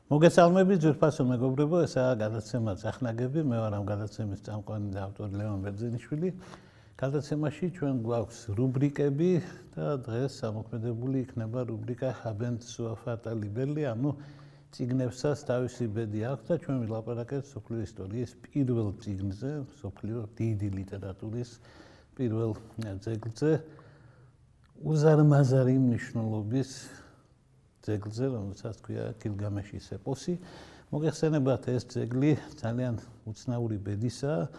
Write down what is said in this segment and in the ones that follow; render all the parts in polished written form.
მოგესალმებით ძვირფასო მეგობრებო, ესაა გადაცემა წახნაგები, მე ვარ ამ გადაცემის წამყვანი და ავტორი ლევან ბერძენიშვილი. გადაცემაში ჩვენ გვაქვს რუბრიკები და დღეს ამოქმედებული იქნება რუბრიკა Habent sua fata libelli, ანუ წიგნებსაც თავისი ბედი აქვს და ჩვენ ვილაპარაკებთ მსოფლიო ისტორიის პირველ წიგნზე, მსოფლიო დიდი ლიტერატურის პირველ ძეგლზე, უზარმაზარი მნიშვნელობის ძეგლზე, რომელსაც ქვია გილგამეშის ეპოსი. მოგეხსენებათ, ეს ძეგლი ძალიან უცნაური ბედისაა.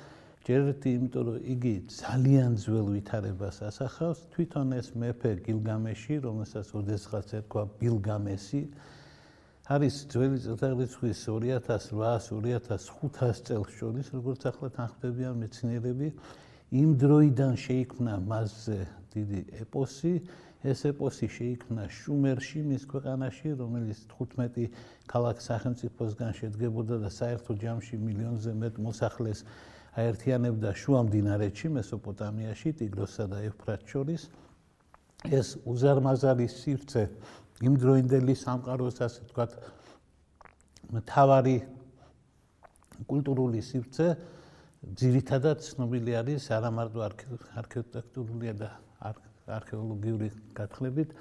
ჯერ ერთი, იმიტომ რომ იგი ძალიან ძველ ვითარებას ასახავს. თვითონ ეს მეფე გილგამეში, რომელსაც ოდესღაც ერქვა ბილგამესი, არის ძველი წელთაღრიცხვის 2800-2500 წელს შორის, როგორც ახლა თანხმდებიან მეცნიერები. იმ დროიდან შეიქმნა მასზე დიდი ეპოსი. ეს ეპოსი შეიქმნა შუმერში, მის ქვეყანაში, რომელიც 15 ქალაქ-სახელმწიფოსგან შედგებოდა და საერთო ჯამში მილიონზე მეტ მოსახლეს აერთიანებდა შუა მდინარეთში, მესოპოტამიაში, ტიგროსსა და ევფრატს შორის. ეს უზარმაზარი სივრცე იმდროინდელი სამყაროს, ასე ვთქვათ, მთავარი კულტურული სივრცე, ძირითადად ცნობილი არის არა მარტო არქიტექტურული და არქეოლოგიური გათხრებით,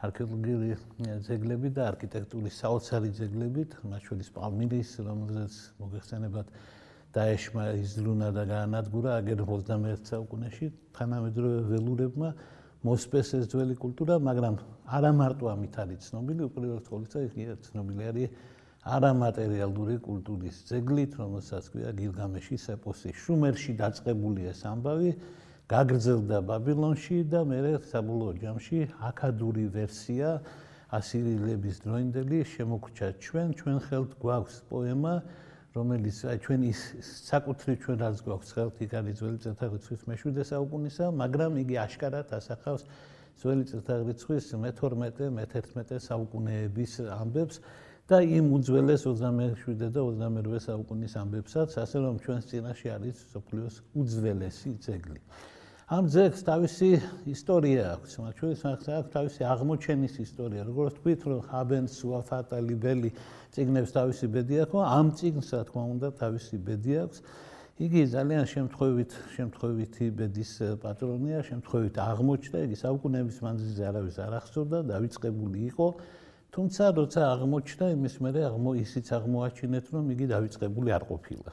არქეოლოგიური ძეგლებით და არქიტექტურის საოცარი ძეგლებით, მათ შორის პალმირის, რომელზეც მოგეხსენებათ დაეშმა იზრუნა და გაანადგურა აგერ 21 საუკუნეში თანამედროვე ველურებმა მოსპეს ეს ძველი კულტურა, მაგრამ არა მარტო ამით არის ცნობილი, უპირველეს ყოვლისა იგი ცნობილი არის არამატერიალური კულტურის ძეგლით, რომელსაც ქვია გილგამეშის ეპოსი. შუმერში დაწყებული ეს ამბავი გაგრძელდა ბაბილონში და მერე საბოლოო ჯამში აქადური ვერსია ასირიელების დროინდელი შემოგრჩა ჩვენ ხელთ გვაქვს პოემა, რომელიც ჩვენ ის საკუთრივ ჩვენ რაც გვაქვს ხელთ, იქ არის ძველი წელთაღრიცხვის მე-7 საუკუნისა, მაგრამ იგი აშკარად ასახავს ძველი წელთაღრიცხვის მე-12-მე-11 საუკუნეების ამბებს და იმ უძველეს 27 და 28 საუკუნის ამბებსაც, ასე რომ ჩვენს წინაშე არის მსოფლიოს უძველესი ძეგლი. ამ ძეგლს თავისი ისტორია აქვს, მათ შორის აქვს თავისი აღმოჩენის ისტორია. როგორც თქვით, რომ Habent sua fata libelli წიგნებს თავისი ბედი აქვს, ამ წიგნს, რა თქმა უნდა, თავისი ბედი აქვს. იგი ძალიან შემთხვევითი ბედის პატრონია, შემთხვევით აღმოჩნდა, იგი საუკუნეების მანძილზე არავის არ ახსოვდა, დავიწყებული იყო. თუმცა, როცა აღმოჩნდა, იმის მერე ისიც აღმოაჩინეთ, რომ იგი დავიწყებული არ ყოფილა.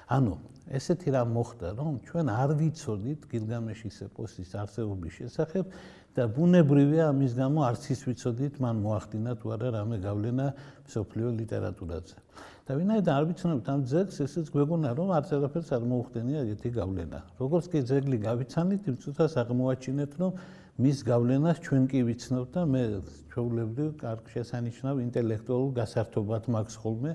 ანუ ესეთი რამ მოხდა, რომ ჩვენ არ ვიცოდით გილგამეშის ეპოსის არსებობის შესახებ და ბუნებრივია ამის გამო არც ის ვიცოდით, მან მოახდინა თუ არა რამე გავლენა მსოფლიო ლიტერატურაზე. და ვინაიდან არ ვიცნობთ ამ ძეგლს, ესეც გვეგონა, რომ არც არაფერს არ მოუხდენია ეგეთი გავლენა. როგორც კი ძეგლი გავიცანით, იმ წუთას აღმოაჩინეთ, რომ მის გავლენას ჩვენ კი ვიცნობთ და მე ჩვეულებრივ კარგ შესანიშნავ ინტელექტუალურ გასართობად მაქვს ხოლმე,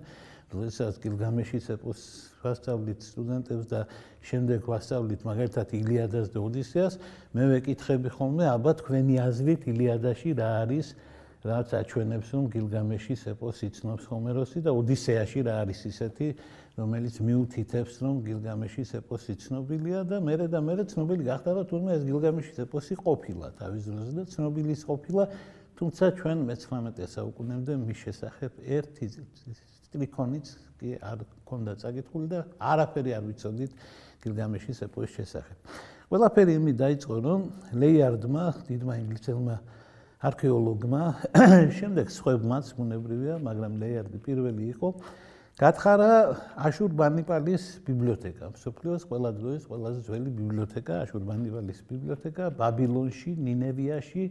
როდესაც გილგამეშის ეპოსს ვასწავლით სტუდენტებს და შემდეგ ვასწავლით მაგალითად ილიადას და ოდისეას, მე ვეკითხები ხოლმე, აბა თქვენი აზრით ილიადაში რა არის, რაც აჩვენებს, რომ გილგამეშის ეპოსი ცნობს ჰომეროსი და ოდისეაში რა არის ისეთი, რომელიც მიუთითებს, რომ გილგამეშის ეპოსი ცნობილია და მერე ცნობილი გახდა, რომ თურმე ეს გილგამეშის ეპოსი ყოფილა თავის დროზე და ცნობილი ყოფილა, თუმცა ჩვენ მე-19 საუკუნემდე მის შესახებ ერთი ტრიქონიც კი არ ქონდა წაკითხული და არაფერი არ ვიცოდით გილგამეშის ეპოსის შესახებ. ყველაფერი იმით დაიწყო, რომ ლეიარდმა, დიდმა ინგლისელმა არქეოლოგმა, შემდეგ სხვებმაც ბუნებრივია, მაგრამ ლეიარდი პირველი იყო, გათხარა აშურბანიპალის ბიბლიოთეკა, მსოფლიოს ყველა დროის ყველაზე ძველი ბიბლიოთეკა, აშურბანიპალის ბიბლიოთეკა ბაბილონში, ნინევიაში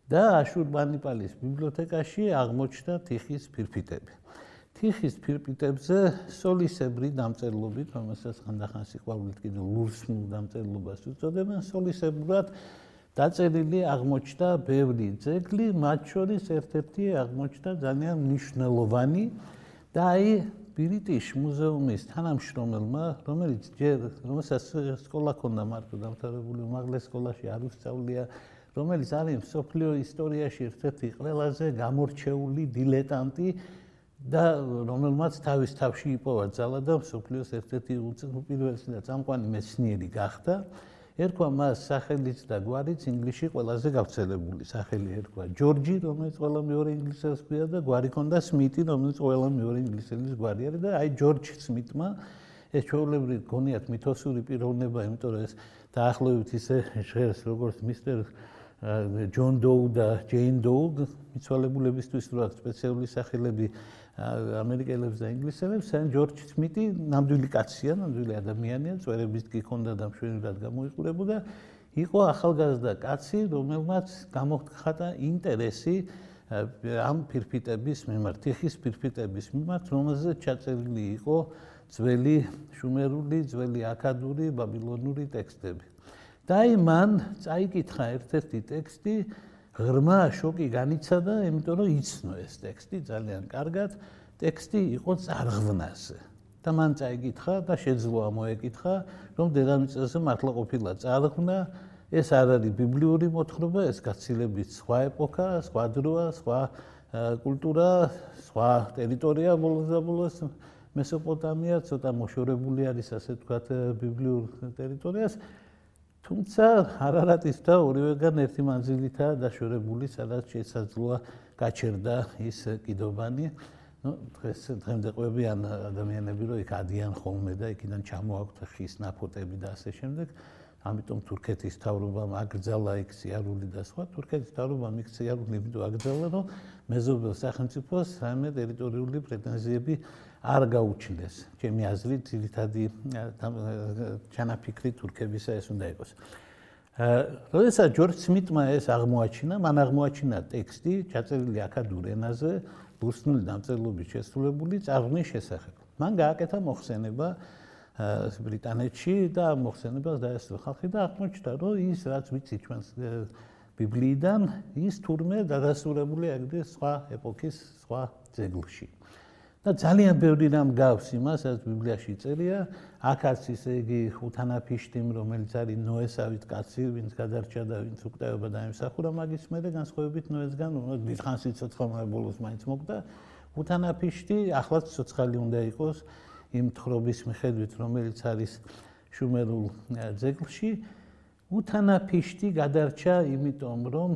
და აშურბანიპალის ბიბლიოთეკაში აღმოჩნდა თიხის ფირფიტები. თიხის ფირფიტებზე სოლისებრი დამწერლობით, რომელსაც ხანდახან სიყვარულით კიდევ ლურსმულ დამწერლობას უწოდებენ, სოლისებრად დაწერილი აღმოჩნდა ბევრი ძეგლი, მათ შორის ერთ-ერთი აღმოჩნდა ძალიან მნიშვნელოვანი და აი ბირიტიშ მუზეუმის თანამშრომელმა, რომელსაც სკოლა ჰქონდა მარტო დამთავრებული, უმაღლეს სკოლაში არ უსწავლია, რომელიც არის მსოფლიო ისტორიაში ერთ-ერთი ყველაზე გამორჩეული დილეტანტი და რომელმაც თავის თავში იპოვა ძალა და მსოფლიოს ერთ-ერთი უპირველესი და წამყვანი მეცნიერი გახდა. ერქვა მას სახელიც და გვარიც ინგლისში ყველაზე გავრცელებული სახელი ერქვა ჯორჯი, რომელიც ყველა მეორე ინგლისელს ქვია და გვარი ჰქონდა სმიტი, რომელიც ყველა მეორე ინგლისელის გვარი არის და აი ჯორჯ სმიტმა ეს ჩვეულებრივ გონიათ მითოსური პიროვნება, იმიტომ რომ ეს დაახლოებით ისე ჟღერს როგორც მისტერ ჯონ დოუ და ჯეინ დოუ, მიცვალებულებისთვის რო აქვს სპეციალური სახელები ამერიკელებს და ინგლისელებს, ან ჯორჯ სმიტი ნამდვილი კაცია, ნამდვილი ადამიანია, წვერებით კი ჰქონდა და მშვენივრად გამოიყურებოდა, იყო ახალგაზრდა კაცი, რომელმაც გამოხატა ინტერესი ამ ფირფიტების მიმართ, თიხის ფირფიტების მიმართ, რომელზეც ჩაწერილი იყო ძველი შუმერული, ძველი აქადური, ბაბილონური ტექსტები. და აი მან წაიკითხა ერთ-ერთი ტექსტი, ღრმა შოკი განიცადა, იმიტომ რომ იცნო ეს ტექსტი ძალიან კარგად, ტექსტი იყო წარღვნაზე. და მან წაიკითხა და შეძლო ამოეკითხა, რომ დედამიწაზე მართლა ყოფილა წარღვნა, ეს არ არის ბიბლიური მოთხრობა, ეს გაცილებით სხვა ეპოქა, სხვა დროა, სხვა კულტურა, სხვა ტერიტორია ბოლოს და ბოლოს მესოპოტამია, ცოტა მოშორებული არის, ასე ვთქვათ, ბიბლიურ ტერიტორიას. თუმცა არარატის და ორივეგან ერთი მანძილითაა დაშორებული, სადაც შესაძლოა გაჩერდა ის კიდობანი. დღემდე ყვებიან ადამიანები, რომ იქ ადიან ხოლმე და იქიდან ჩამოაქვთ ხის ნაფოტები და ასე შემდეგ. ამიტომ თურქეთის მთავრობამ აკრძალა იქ სიარული და სხვა. თურქეთის მთავრობამ იქ სიარული იმიტომ აკრძალა, რომ მეზობელ სახელმწიფოს რაიმე ტერიტორიული პრეტენზიები არ გაუჩნდეს. ჩემი აზრით, ძირითადი ჩანაფიქრი თურქებისა ეს უნდა იყოს. როდესაც ჯორჯ სმიტმა ეს აღმოაჩინა, მან აღმოაჩინა ტექსტი, ჩაწერილი აქადურ ენაზე, ბურსნული დამწერლობით შესრულებული წარღვნის შესახებ. მან გააკეთა მოხსენება ბრიტანეთში და მოხსენებას დაესწრო ხალხი და აღმოჩნდა, რომ ის რაც ვიცი ჩვენს ბიბლიიდან, ის თურმე დადასტურებული აგდე სხვა ეპოქის სხვა ძეგლში. და ძალიან ბევრი რამ გავს იმას, რაც ბიბლიაში წერია, აქაც ისე იგი უთანაფიშტიმ, რომელიც არის ნოესავით კაცი, ვინც გადარჩა და ვინც უკტაება დაემსახურა მაგის მერე განსხვავებით ნოესგან, დიდხანს იცოცხლა ბოლოს მაინც მოკდა. უთანაფიშტი ახლაც ცოცხალი უნდა იყოს იმ თხრობის მიხედვით, რომელიც არის შუმერულ ძეგლში. უთანაფიშტი გადარჩა იმიტომ, რომ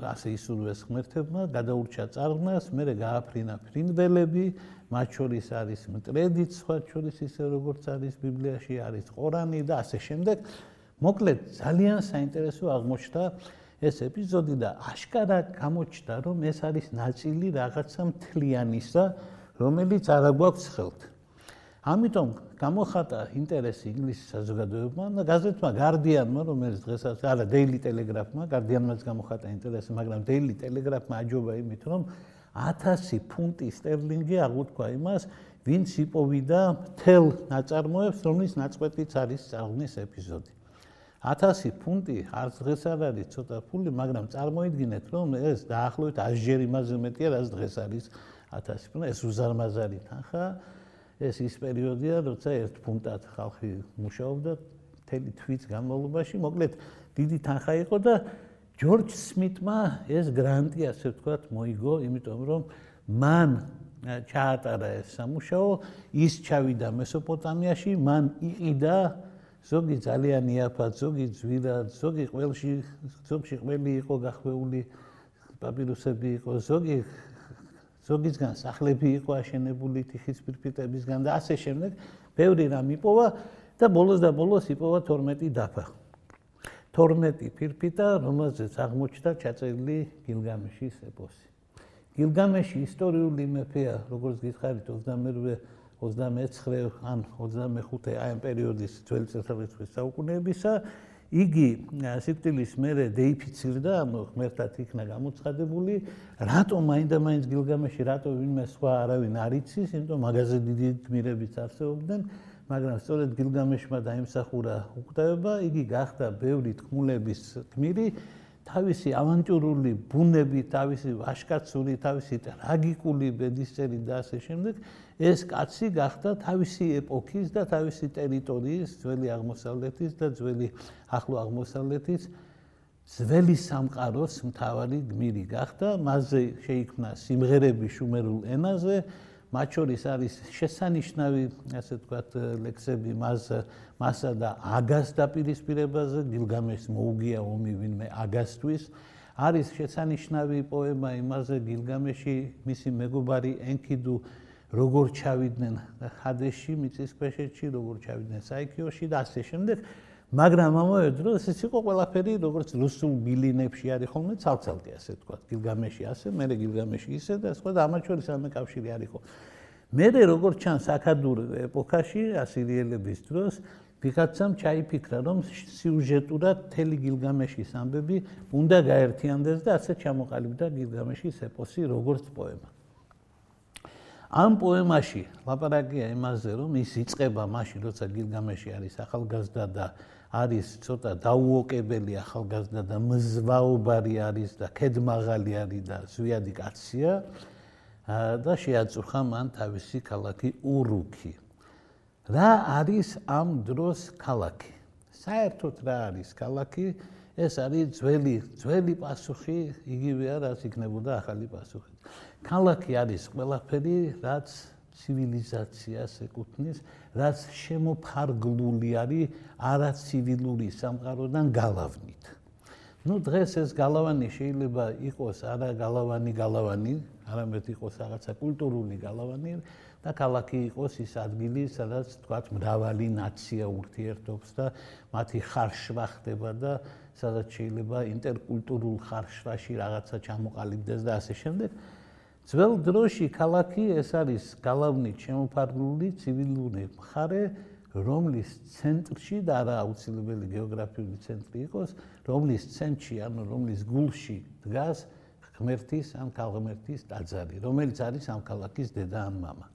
ასე ისურვეს ღმერთებმა, გადაურჩა წარღვნას, მერე გააფრინა ფრინველები, მათ შორის არის მტრედიც, სხვა შორის ისე როგორც არის ბიბლიაში, არის ყორანი და ასე შემდეგ. მოკლედ, ძალიან საინტერესო აღმოჩნდა ეს ეპიზოდი და აშკარა გამოჩნდა, რომ ეს არის ნაწილი რაღაცა მთლიანისა, რომელიც არ აგვაქვს ხელთ. ამიტომ გამოხატა ინტერესი ინგლისის საზოგადოებამ და გაზეთმა Guardian-მა, რომელიც დღესაც არა Daily Telegraph-მა, Guardian-მაც გამოხატა ინტერესი, მაგრამ Daily Telegraph-მა აჯობა იმით, რომ 1000 ფუნტი სტერლინგი აღუთქვა იმას, ვინც იპოვიდა მთელ ნაწარმოებს, რომლის ნაწყვეტიც არის წარღვნის ეპიზოდი. 1000 ფუნტი არც დღეს არ არის ცოტა ფული, მაგრამ წარმოიდგინეთ, რომ ეს დაახლოებით 100 ჯერ იმაზე მეტია, რაც დღეს არის 1000 ფუნტი. ეს უზარმაზარი თანხა. ეს ის პერიოდია, როცა 1 ფუნტად ხალხი მუშაობდა მთელი თვის განმავლობაში. მოკლედ, დიდი თანხა იყო და ჯორჯ სმიტმა ეს გრანტი, ასე ვთქვათ, მოიგო, იმიტომ რომ მან ჩაატარა ეს სამუშაო, ის ჩავიდა მესოპოტამიაში, მან იყიდა ზოგი ძალიან იაფად, ზოგი ძვირად, ზოგი ზოგში ყველი იყო გახვეული, პაპირუსები იყო, ზოგისგან სახლები იყო აშენებული თიხის ფირფიტებისგან და ასე შემდეგ, ბევრი რამ იპოვა და ბოლოს იპოვა 12 დაფა. 12 ფირფიტა, რომელზეც აღმოჩნდა ჩაწერილი გილგამეშის ეპოსი. გილგამეში ისტორიული მეფეა, როგორც გითხარით, 29 ან 25 აი ამ პერიოდის ძველი წელთაღრიცხვის საუკუნეებისა. იგი სიკვდილის მერე დეიფიცირდა, ღმერთად იქნა გამოცხადებული, რატომ მაინდა-მაინც გილგამეში, რატომ ვინმე სხვა არავინ არ იცის, იმიტომ მაგაზე დიდი გმირებიც არსებობდნენ, მაგრამ სწორედ გილგამეშმა დაიმსახურა უკტაება, იგი გახდა ბევრი თქმულების გმირი, თავისი ავანტიურული ბუნები, თავისი ვაჟკაცური, თავისი ტრაგიკული ბედისწერი და ასე შემდეგ, ეს კაცი გახდა თავისი ეპოქის და თავისი ტერიტორიის, ძველი აღმოსავლეთის და ძველი ახლო აღმოსავლეთის ძველი სამყაროს მთავარი გმირი გახდა. მასზე შეიქმნა სიმღერები შუმერულ ენაზე, მათ შორის არის შესანიშნავი, ასე ვთქვათ, ლექსები მასა და აგას დაპირისპირებაზე, გილგამეშს მოუგია ომი ვინმე აგასთვის. არის შესანიშნავი პოემა იმაზე, გილგამეში, მისი მეგობარი ენქიდუ როგორ ჩავიდნენ ჰადესში, მიწისქვეშეთში, როგორ ჩავიდნენ საიქიოში და ასე შემდეგ. მაგრამ ამავე დროს ეს იყო ყველაფერი, როგორც რუსულ ბილინებში არის ხოლმე ცალ-ცალკე, ასე ვთქვათ, გილგამეში ასე, მერე გილგამეში ისე და სხვა და ამათ შორის ამე კავშირი არ იყო. მერე როგორც ჩანს აქადურ ეპოქაში, ასირიელების დროს, ვიღაცამ ჩაიფიქრა, რომ სიუჟეტურად მთელი გილგამეშის ამბები უნდა გაერთიანდეს და ასე ჩამოყალიბდა გილგამეშის ეპოსი როგორც პოემა. ამ პოემაში ლაპარაკია იმაზე, რომ ის იწყება მაშინ, როცა გილგამეში არის ახალგაზრდა და არის ცოტა დაუოკებელი ახალგაზრდა და მზვაობარი არის და ქედმაღალი არის და ზვიადი კაცია და შეაწუხა მან თავისი ქალაქი ურუქი. რა არის ამ დროს ქალაქი? საერთოდ რა არის ქალაქი? ეს არის ძველი პასუხი, იგივეა, რაც იქნებოდა ახალი პასუხი. ქალაქი არის ყველაფერი, რაც ცივილიზაციას ეკუთვნის, რაც შემოფარგლული არის არაცივილური სამყაროდან გალავნით. დღეს ეს გალავანი შეიძლება იყოს არა გალავანი, არამედ იყოს რაღაცა კულტურული გალავანი და ქალაქი იყოს ის ადგილი, სადაც თქვათ მრავალი ნაცია ურთიერთობს და მათი ხარშვა ხდება და სადაც შეიძლება ინტერკულტურულ ხარშვაში რაღაცა ჩამოყალიბდეს და ასე შემდეგ. ძველ დროში ქალაქი ეს არის გალავნით შემოფარგლული ცივილური მხარე, რომლის ცენტრში და არა აუცილებელი გეოგრაფიული ცენტრი იყოს, რომლის ცენტრში, ანუ რომლის გულში დგას ღმერთის ან ქალღმერთის ტაძარი, რომელიც არის ამ ქალაქის დედა ან მამა.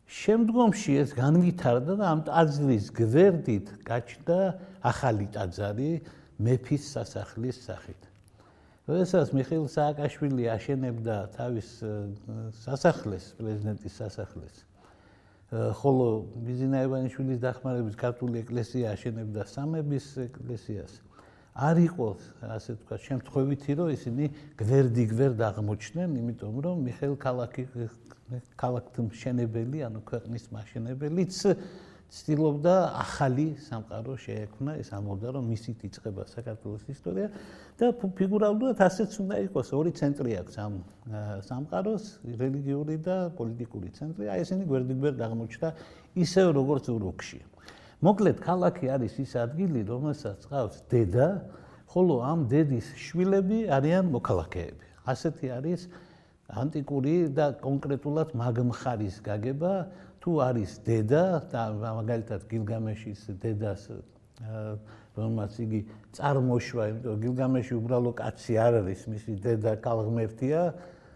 შემდგომში ეს განვითარდა და ამ ტაძრის გვერდით გაჩნდა ახალი ტაძარი მეფის სასახლის სახით. როდესაც მიხეილ სააკაშვილი აშენებდა თავის სასახლეს, პრეზიდენტის სასახლეს, ხოლო ბიზინა ივანიშვილის დახმარებით ქართული ეკლესია აშენებდა სამების ეკლესიას, არ იყო, ასე ვთქვათ, შემთხვევითი, რომ ისინი გვერდ აღმოჩნდნენ, იმიტომ რომ მიხეილ ქალაქთმშენებელი, ანუ ქვეყნის მაშენებელიც ცდილობდა ახალი სამყარო შეექმნა, ეს ამბობდა, რომ მისით იწყება საქართველოს ისტორია და ფიგურალურად ასეც უნდა იყოს, ორი ცენტრი აქვს ამ სამყაროს, რელიგიური და პოლიტიკური ცენტრი, აი ესენი გვერდ აღმოჩნდა ისევ როგორც ურუქში. მოკლედ, ქალაქი არის ის ადგილი, რომელსაც ყავს დედა, ხოლო ამ დედის შვილები არიან მოქალაქეები. ასეთი არის ანტიკური და კონკრეტულად მაგმხარის გაგება, თუ არის დედა და მაგალითად გილგამეშის დედას, რომელმაც იგი წარმოშვა, იმიტომ გილგამეში უბრალო კაცი არ არის, მისი დედა ქალღმერთია,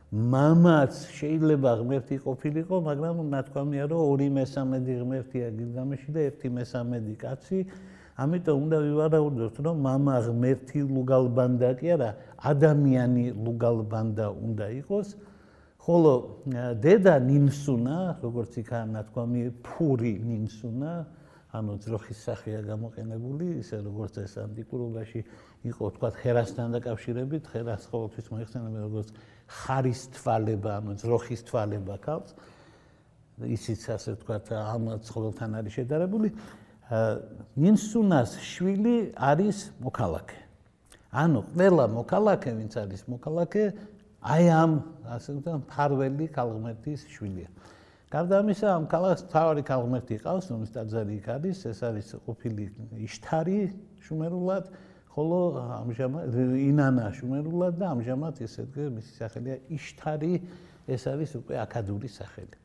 მამაც შეიძლება ღმერთი ყოფილიყო, მაგრამ ნათქვამია, რომ 2/3 ღმერთია გილგამეში და 1/3 კაცი, ამიტომ უნდა ვივარაუდოთ, რომ მამა ღმერთი ლუგალბანდა კი არა, ადამიანი ლუგალბანდა უნდა იყოს. ხოლო დედა ნინსუნა, როგორც იქა ნათქვამი, ფური ნინსუნა, ანუ ძროხის სახეა გამოყენებული, ისე როგორც ეს ანტიკურობაში იყო, თქვათ, ხერასთან დაკავშირებით, ხერას ყოველთვის მოიხსენებენ როგორც ხარის თვალება, ანუ ძროხის თვალება ქალს, ისიც ასე ვთქვათ, ამ ცხოველთან არის შედარებული. ნინსუნას შვილი არის მოქალაქე. ანუ ყველა მოქალაქე, ვინც არის მოქალაქე, აი ამ ასე ვთქვათ, მფარველი ქალღმერთის შვილია. გარდა ამისა, ამ ქალაქს მთავარი ქალღმერთი ყავს, რომლის ტაძარი იქ არის, ეს არის ყოფილი იშთარი შუმერულად, ხოლო ამჟამად ინანა შუმერულად და ამჟამად ესე მისი სახელია იშთარი, ეს არის უკვე აქადური სახელი.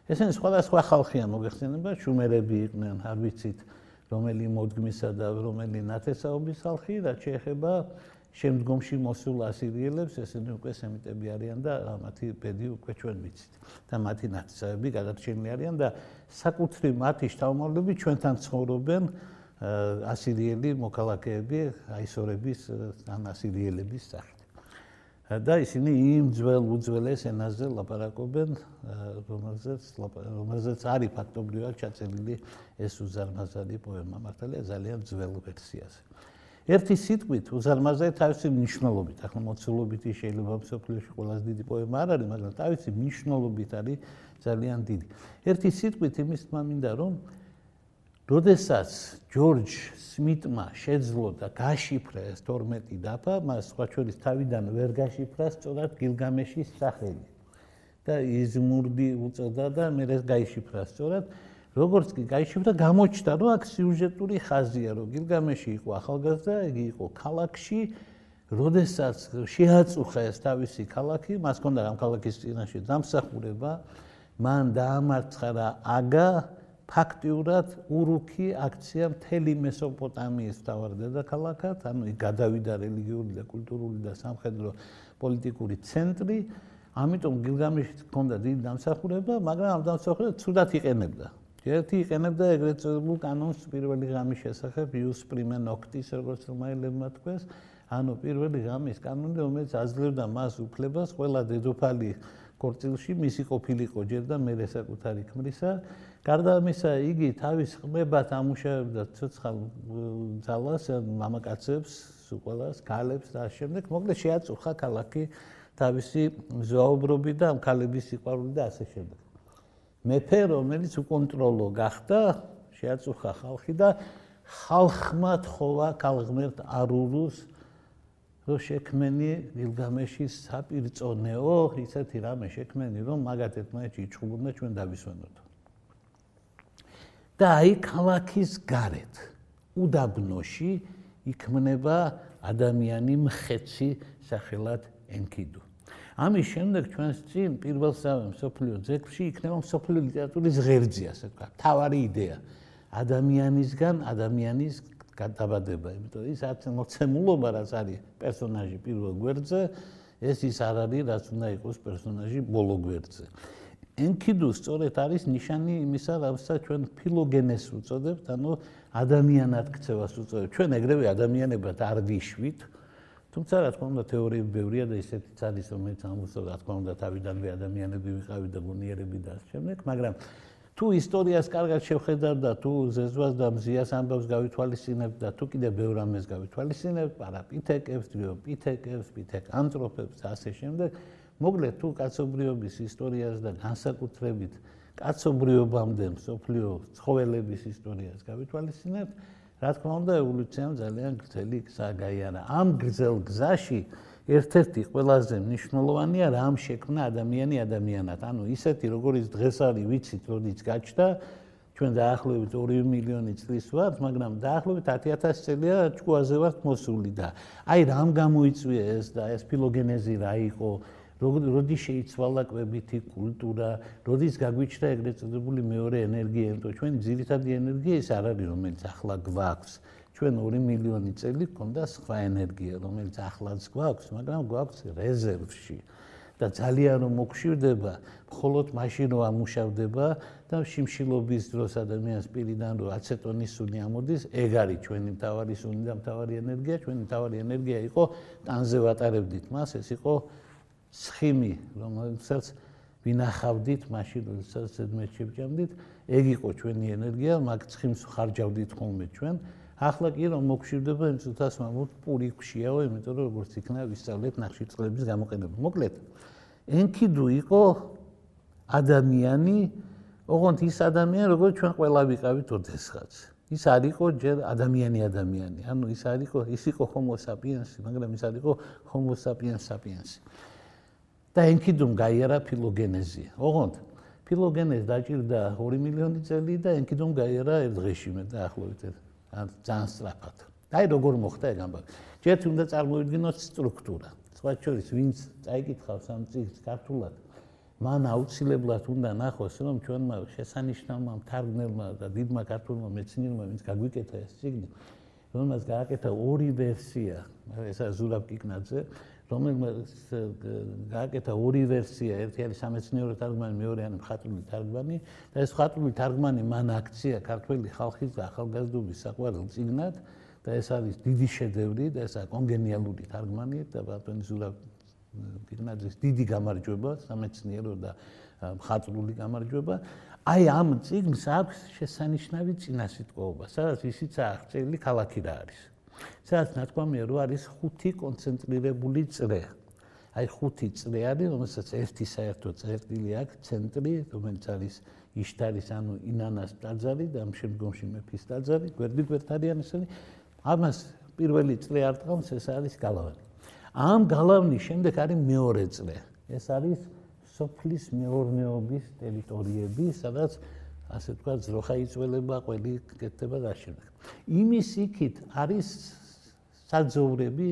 ესენი სხვადასხვა ხალხია მოგეხსენება, შუმერები იყვნენ, არ ვიცით, რომელი მოდგმისა და რომელი ნათესაობის ხალხი, რაც შეეხება შემდგომში მოსულ ასირიელებს, ესენი უკვე სემიტები არიან და მათი ბედი უკვე ჩვენ ვიცით და მათი ნათესავები გადარჩენილი არიან და საკუთრივ მათი შთამომავლები ჩვენთან ცხოვრობენ ასირიელი მოქალაქეები, აისორების ან ასირიელების სახით. და ისინი იმ უძველეს ენაზე ლაპარაკობენ, რომელზეც არის ფაქტობრივად ჩაწერილი ეს უზარმაზარი პოემა, მართალია ძალიან ძველ ვერსიაზე. ერთი სიტყვით უზარმაზარი თავისი მნიშვნელობით, ახლა მოცულობით შეიძლება მსოფლიოში ყველაზე დიდი პოემა არ არის, მაგრამ თავისი მნიშვნელობით არის ძალიან დიდი. ერთი სიტყვით იმის თქმა მინდა, რომ როდესაც ჯორჯ სმიტმა შეძლო და გაშიფრა ეს 12 დაფა, მას სხვა შორის თავიდან ვერ გაშიფრა სწორად გილგამეშის სახელი. და იზმურდი უწოდა და მე ეს გაიშიფრა სწორად. როგორც კი გაიშიფრა, გამოჩნდა, რომ აქ სიუჟეტური ხაზია, რომ გილგამეში იყო ახალგაზრდა, იგი იყო ქალაქში, როდესაც შეაწუხა ეს თავისი ქალაქი, მას ჰქონდა ამ ქალაქის წინაშე დამსახურება, მან დაამარცხა აგა ფაქტიურად ურუქი აქცია მთელი მესოპოტამიის მთავარ დედაქალაქად, ანუ იქ გადავიდა რელიგიური და კულტურული და სამხედრო პოლიტიკური ცენტრი, ამიტომ გილგამეშიც ჰქონდა დიდი დამსახურება, მაგრამ ამ დამსახურებას ცუდად იყენებდა. ერთი იყენებდა ეგრეთ წოდებულ კანონს პირველი ღამის შესახებ ius prima noctis, როგორც რომაელებმა თქვეს, ანუ პირველი ღამის კანონი, რომელიც აძლევდა მას უფლებას ყველა დედოფალი ქორწილში მისი ყოფილიყო ჯერ და მერე საკუთარი ქმრისა. გარდა ამისა, იგი თავის ყმებად ამუშავებდა ცოცხალ ძალას, მამაკაცებს, ყველას, ქალებს და შემდეგ, მოკლედ შეაწუხა ქალაქი თავისი ზვაუბრობით და ამ ქალების სიყვარულით და ასე შემდეგ. მეფე, რომელიც უკონტროლო გახდა, შეაწუხა ხალხი და ხალხმა თხოვა ქალღმერთ არურუს, რომ შექმენი გილგამეშის საპირწონეო, ისეთი რამე შექმენი, რომ მაგათ ერთმანეთში იჩხუბონ და ჩვენ დავისვენოთ. და აი ქალაქის გარეთ, უდაბნოში იქმნება ადამიანი მხეცი სახელად ენკიდუ. ამის შემდეგ ჩვენს წინ პირველსავე მსოფლიო ძეგლში იქნება მსოფლიო ლიტერატურის ღერძი, ასე ვთქვათ, მთავარი იდეა. ადამიანისგან ადამიანის გადაბადება, იმიტომ ის მოცემულობა, რაც არის პერსონაჟი პირველ გვერდზე, ეს ის არ არის, რაც უნდა იყოს პერსონაჟი ბოლო გვერდზე. ენკიდუ სწორედ არის ნიშანი იმისა, რასაც ჩვენ ფილოგენეს უწოდებთ, ანუ ადამიანად ქცევას უწოდებთ. ჩვენ ეგრევე ადამიანებად არ ვიშვით, თუმცა რა თქმა უნდა თეორიები ბევრია და ისეთიც არის, რომელიც ამბობს, რა თქმა უნდა თავიდანვე ადამიანები ვიყავით და გონიერები და ასე შემდეგ, მაგრამ თუ ისტორიას კარგად შევხედავთ და თუ ზეზვას და მზიას ამბავს გავითვალისწინებთ და თუ კიდევ ბევრ ამას გავითვალისწინებთ, პარაპითეკებს, დრიოპითეკებს, პითეკანთროპებს და ასე შემდეგ, მოკლედ თუ კაცობრიობის ისტორიას და განსაკუთრებით კაცობრიობამდე მსოფლიო ცხოველების ისტორიას გავითვალისწინებთ, რა თქმა უნდა ევოლუციამ ძალიან გრძელი გზა გაიარა. ამ გრძელ გზაში ერთ-ერთი ყველაზე მნიშვნელოვანია რამ შექმნა ადამიანი ადამიანად. ანუ ისეთი როგორც დღეს არის ვიცით, როდესაც გაჩნდა, ჩვენ დაახლოებით 2 მილიონი წლის ვართ, მაგრამ დაახლოებით 10,000 წელია ჭკუაზე ვართ მოსული და აი რამ გამოიწვია ეს და ეს ფილოგენეზი რა იყო, როდის შეიცვალა კვებითი კულტურა, როდის გაგვიჩნდა ეგრეთ წოდებული მეორე ენერგია, იმიტომ ჩვენი ძირითადი ენერგია ის არ არის, რომელიც ახლა გვაქვს. ჩვენ 2 მილიონი წელი გვქონდა სხვა ენერგია, რომელიც ახლაც გვაქვს, მაგრამ გვაქვს რეზერვში. და ძალიან რომ მოგშვირდება, მხოლოდ მაშინ რომ ამუშავდება და შიმშილობის დროს ადამიანის პირიდან რომ აცეტონის სუნი ამოდის, ეგ არის ჩვენი მთავარი სუნი და მთავარი ენერგია. ჩვენი მთავარი ენერგია იყო ტანზე ვატარებდით მას, ეს იყო ცხიმი, რომელსაც ვინახავდით მაშინ, როდესაც ზედმეტში ვჭამდით, ეგ იყო ჩვენი ენერგია, მაგ ცხიმს ხარჯავდით ხოლმე ჩვენ. ახლა კი რომ მოგშვირდება იმ წუთას მამოთ პური გვშიაო, იმიტომ რომ როგორც იქნა ვისწავლეთ ნახშირწყლების გამოყენება. მოკლედ, ენკიდუ იყო ადამიანი, ოღონდ ის ადამიანი, როგორც ჩვენ ყველა ვიყავით ოდესღაც. ის არ იყო ჯერ ადამიანი, ანუ ის იყო ჰომო საპიენსი, მაგრამ ის არ იყო ჰომო საპიენს საპიენსი. და ენკიდუმ გაიარა ფილოგენეზია. ოღონდ ფილოგენეზი დაჭირდა 2 მილიონი წელი და ენკიდუმ გაიარა ერთ დღეში მე დაახლოებით ძალიან სწრაფად. აი როგორ მოხდა ეგ ამბავი. ჯერ უნდა წარმოვიდგინოთ სტრუქტურა. სხვა შორის ვინც წაიკითხავს ამ წიგნს ქართულად, მან აუცილებლად უნდა ნახოს, რომ ჩვენმა შესანიშნავმა მთარგმნელმა და დიდმა ქართულმა მეცნიერმა, ვინც გაგვიკეთა ეს წიგნი, რომელმაც გააკეთა 2 ვერსია, ესა ზურაბ კიკნაძე, რომელმაც გააკეთა 2 ვერსია, ერთი არის სამეცნიერო თარგმანი, მეორე არის მხატვრული თარგმანი და ეს მხატვრული თარგმანი მან აქცია ქართველი ხალხის და ახალგაზრდობის საყვარელ წიგნად და ეს არის დიდი შედევრი და ესაა კონგენიალური თარგმანი და ბატონი ზურაბ კიკნაძის დიდი გამარჯვება, სამეცნიერო და მხატვრული გამარჯვება. აი ამ წიგნს აქვს შესანიშნავი წინასიტყვაობა, სადაც ისიც აღწერილი ქალაქი რა არის. სადაც ნათქვამია, რომ არის 5 კონცენტრირებული წრე. აი 5 წრე არის, რომელსაც ერთი საერთო წერტილი აქვს, ცენტრი, რომელიც არის იშტარის, ანუ ინანას ტაძარი და ამ შემდგომში მეფის ტაძარი, გვერდით-გვერდთარიანისანი. ამას პირველი წრე არტყამს, ეს არის გალავანი. ამ გალავნის შემდეგ არის მეორე წრე. ეს არის სოფლის მეურნეობის ტერიტორიები, სადაც ასე ვთქვათ, ზროხა იწველება, ყველი კეთდება და შემდეგ. იმის იქით არის საძოვრები,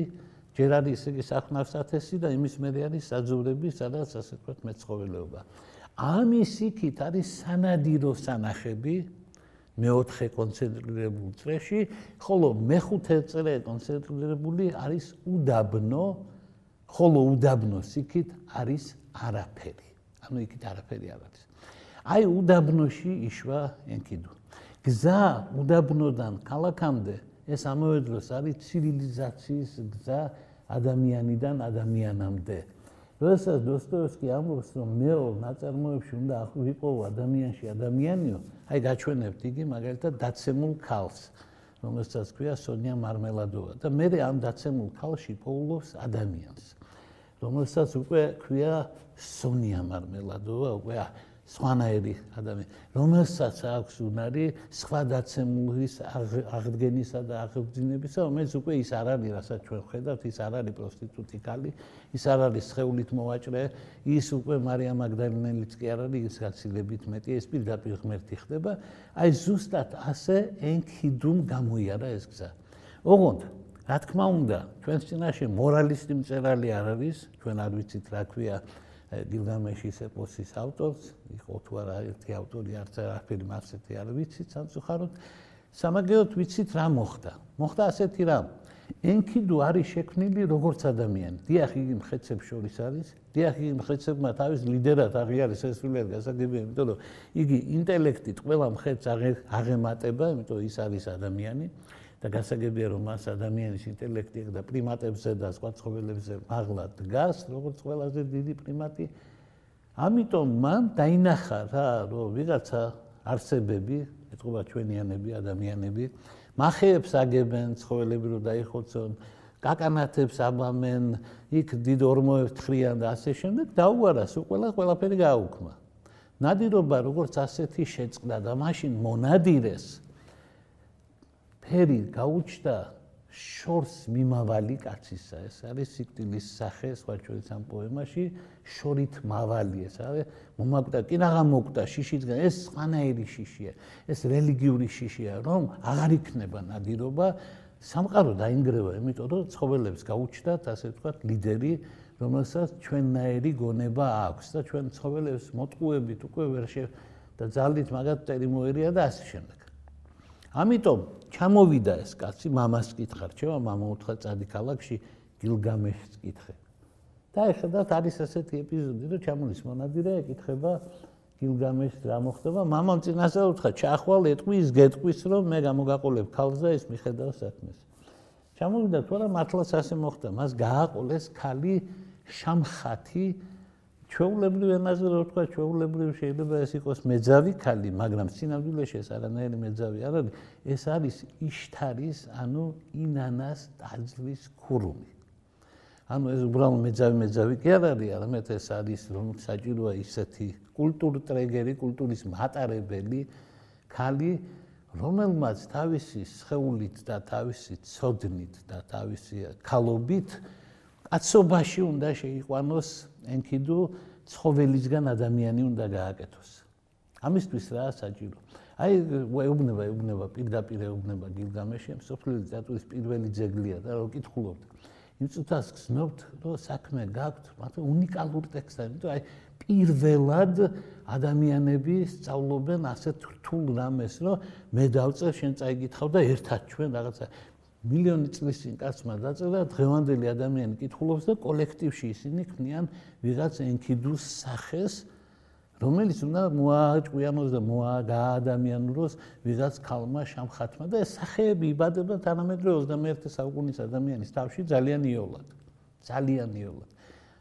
ჯერ არის იგი სახნავსათესი და იმის მერე არის საძოვრები, სადაც ასე ვთქვათ, მეცხოველეობა. ამის იქით არის სანადირო სანახები, მეოთხე კონცენტრირებულ წრეში, ხოლო მეხუთე წრე კონცენტრირებული არის უდაბნო, ხოლო უდაბნოს იქით არის არაფერი. ანუ იქით არაფერი არ არის. აი უდაბნოში იშვა ენქიდუ. გზა უდაბნოდან ქალაქამდე ეს ამავე დროს არის ცივილიზაციის გზა ადამიანიდან ადამიანამდე. როდესაც დოსტოევსკი ამბობს, რომ მეო ნაწარმოებში უნდა ვიყო ადამიანში ადამიანიო, აი გაჩვენებთ იგი მაგალითად დაცემულ ქალს, რომელსაც ქვია სონია მარმელადოვა და მე ამ დაცემულ ქალში პოულობს ადამიანს, რომელსაც უკვე ქვია სონია მარმელადოვა, უკვე სხვანაირი ადამიანი, რომელსაც აქვს უნარი სხვა დაცემულის აღდგენისა და აღბრძინებისა, რომელიც უკვე ის არ არის, რასაც ჩვენ ვხედავთ, ის არ არის პროსტიტუტი ქალი, ის არ არის სხეულით მოვაჭრე, ის უკვე მარიამ მაგდალინელიც კი არ არის, ის გაცილებით მეტი, ეს პირდაპირ ღმერთი ხდება. აი ზუსტად ასე ენქიდუმ გამოიარა ეს გზა. ოღონდ, რა თქმა უნდა, ჩვენს წინაშე მორალისტი მწერალი არ არის, ჩვენ არ ვიცით რა ქვია გილგამეშის ეპოსის ავტორს, იყო თუ არა ერთი ავტორი, არც არაფერი მასეთი არ ვიცით სამწუხაროდ. სამაგეროდ ვიცით რა მოხდა. მოხდა ასეთი რამ. ენქიდუ არის შექმნილი როგორც ადამიანი. დიახ, იგი მხეცებს შორის არის. დიახ, იგი მხეცებმა თავის ლიდერად აღიარეს ეს სრულიად გასაგებია, იმიტომ რომ იგი ინტელექტით ყველა მხეთს აღემატება, იმიტომ ის არის ადამიანი. და გასაგებია, რომ მას ადამიანის ინტელექტი და პრიმატებზე და სხვა ცხოველებზე მაღლა დგას, როგორც ყველაზე დიდი პრიმატი. ამიტომ მან დაინახა რა, რომ ვიღაცა არსებები, ეთყობა ჩვენიანები, ადამიანები, მახეებს აგებენ ცხოველები რომ დაიხოცონ, კაკანათებს აბამენ, იქ დიდ ორმოებს თხრიან და ასე შემდეგ, დაუარას ყველაფერი გააუქმა. ნადირობა როგორც ასეთი შეწყდა და მაშინ მონადირეს ფერი გაუჩნდა შორს მიმავალი კაცისა. ეს არის სიკვდილის სახე, სხვა ჩვენს ამ პოემაში, შორით მავალი ეს არის. მომაკვდა, კი რა გამოკვდა შიშისგან, ეს სხვანაირი შიშია, ეს რელიგიური შიშია, რომ აღარ იქნება ნადირობა, სამყარო დაინგრევა, იმიტომ რომ ცხოველებს გაუჩნდათ, ასე ვთქვათ, ლიდერი, რომელსაც ჩვენნაირი გონება აქვს და ჩვენ ცხოველებს მოტყუებით უკვე ვერ და ძალით მაგათი მოერია და ასე შემდეგ. ამიტომ ჩამოვიდა ეს კაცი, მამას კითხა, რჩევა, მამა უთხრა წადი ქალაქში, გილგამეშს კითხე. და ეხლა არის ასეთი ეპიზოდი, რომ ჩამოდის მონადირე, ეკითხება გილგამეშს რა მოხდება, მამამ წინასწარ უთხრა, ჩახვალ ეტყვის, გეტყვის, რომ მე გამოგაყოლებ ქალს და ეს მიხედავს საქმეს. ჩამოვიდა თუ არა მართლაც ასე მოხდა, მას გააყოლეს ქალი შამხათი, ჩვეულებრივ ენაზე რო ვთქვა, ჩვეულებრივ შეიძლება ეს იყოს მეძავი ქალი, მაგრამ სინამდვილეში ეს არანაირი მეძავი არ არის, ეს არის იშტარის, ანუ ინანას ტაძრის ქურუმი. ანუ ეს უბრალოდ მეძავი კი არ არის, არამედ ეს არის, რომ საჭიროა ისეთი კულტურტრეგერი, კულტურის მატარებელი ქალი, რომელმაც თავისი სხეულით და თავისი ცოდნით და თავისი ქალობით კაცობაში უნდა შეიყვანოს ენქიდუ, ცხოველისგან ადამიანი უნდა გააკეთოს. ამისთვის რა საჭირო? აი ეუბნება პირდაპირ ეუბნება გილგამეში, მსოფლიო ლიტერატურის პირველი ძეგლია და რო კითხულობთ, იმ წუთას გრძნობთ, რომ საქმე გაქვთ, მაგრამ უნიკალური ტექსტი, იმიტომ აი პირველად ადამიანები სწავლობენ ასეთ რთულ რამეს, რომ მე დავწერ, შენ წაიგითხავ და ერთად ჩვენ რაღაცა მილიონი წლის წინ კაცმა დაწერა, დღევანდელი ადამიანი კითხულობს და კოლექტივში ისინი ქმნიან ვიღაც ენქიდუს სახეს, რომელიც უნდა მოაჭკვიანოს და გააადამიანუროს ვიღაც ქალმა შამხათმა და ეს სახეები იბადება თანამედროვე 21 საუკუნის ადამიანის თავში ძალიან იოლად. ძალიან იოლად.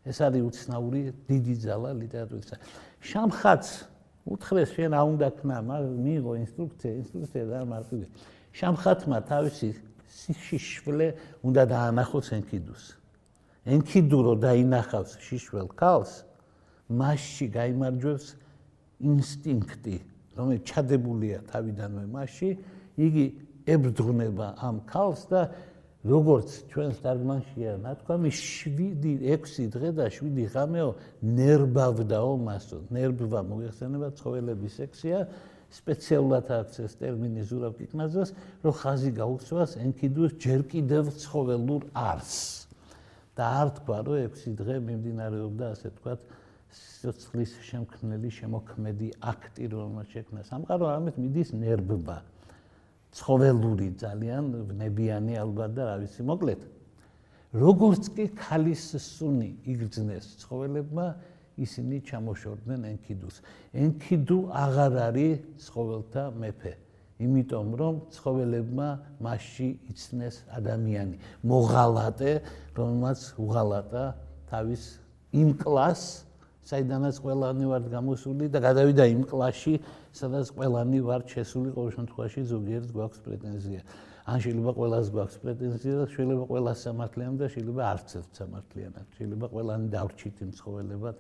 ეს არის უცნაური დიდი ძალა ლიტერატურისა. შამხათს უთხრეს შენ არ უნდა ქნა, მიიღო ინსტრუქცია და მარტივია. შამხათმა თავისი შიშვლე უნდა დაანახოს ენქიდუს. ენქიდუ რო დაინახავს შიშველ ქალს, მასში გაიმარჯვებს ინსტინქტი, რომელიც ჩადებულია თავიდანვე მასში, იგი ებრძღვნება ამ ქალს და როგორც ჩვენს თარგმანშია ნათქვამი 7-6 დღე და 7 ღამეო ნერბავდაო მასო. ნერბვა მოიხსენება ცხოველების სექსია, სპეციალურად აქვს ეს ტერმინი ზურავ კიკნაძეს, რომ ხაზი გაუწევს ენქიდუს ჯერ კიდევ ცხოველურ არსს. და არ თქვა, რომ 6 დღე მიმდინარეობდა ასე ვთქვათ სიცოცხლის შემქმნელი შემოქმედი აქტი, რომელმაც შექმნა სამყარო, ამით მიდის ნერბვა. ცხოველური ძალიან ვნებიანი ალბათ და რა ვიცი, მოკლედ. როგორც კი ქალის სუნი იგრძნეს ცხოველებმა, ისინი ჩამოშორდნენ ენქიდუს. ენქიდუ აღარ არის ცხოველთა მეფე, იმიტომ რომ ცხოველებმა მასში იცნეს ადამიანი, მოღალატე, რომელმაც უღალატა თავის იმ კლასს, საიდანაც ყველანი ვართ გამოსული და გადავიდა იმ კლასში, სადაც ყველანი ვართ შესული, ყოველ შემთხვევაში ზოგიერთ გვაქვს პრეტენზია. ან შეიძლება ყველას გვაქვს პრეტენზია და შეიძლება ყველას სამართლიანად და შეიძლება არც ერთ სამართლიანად. შეიძლება ყველანი დავრჩით იმ ცხოველებად,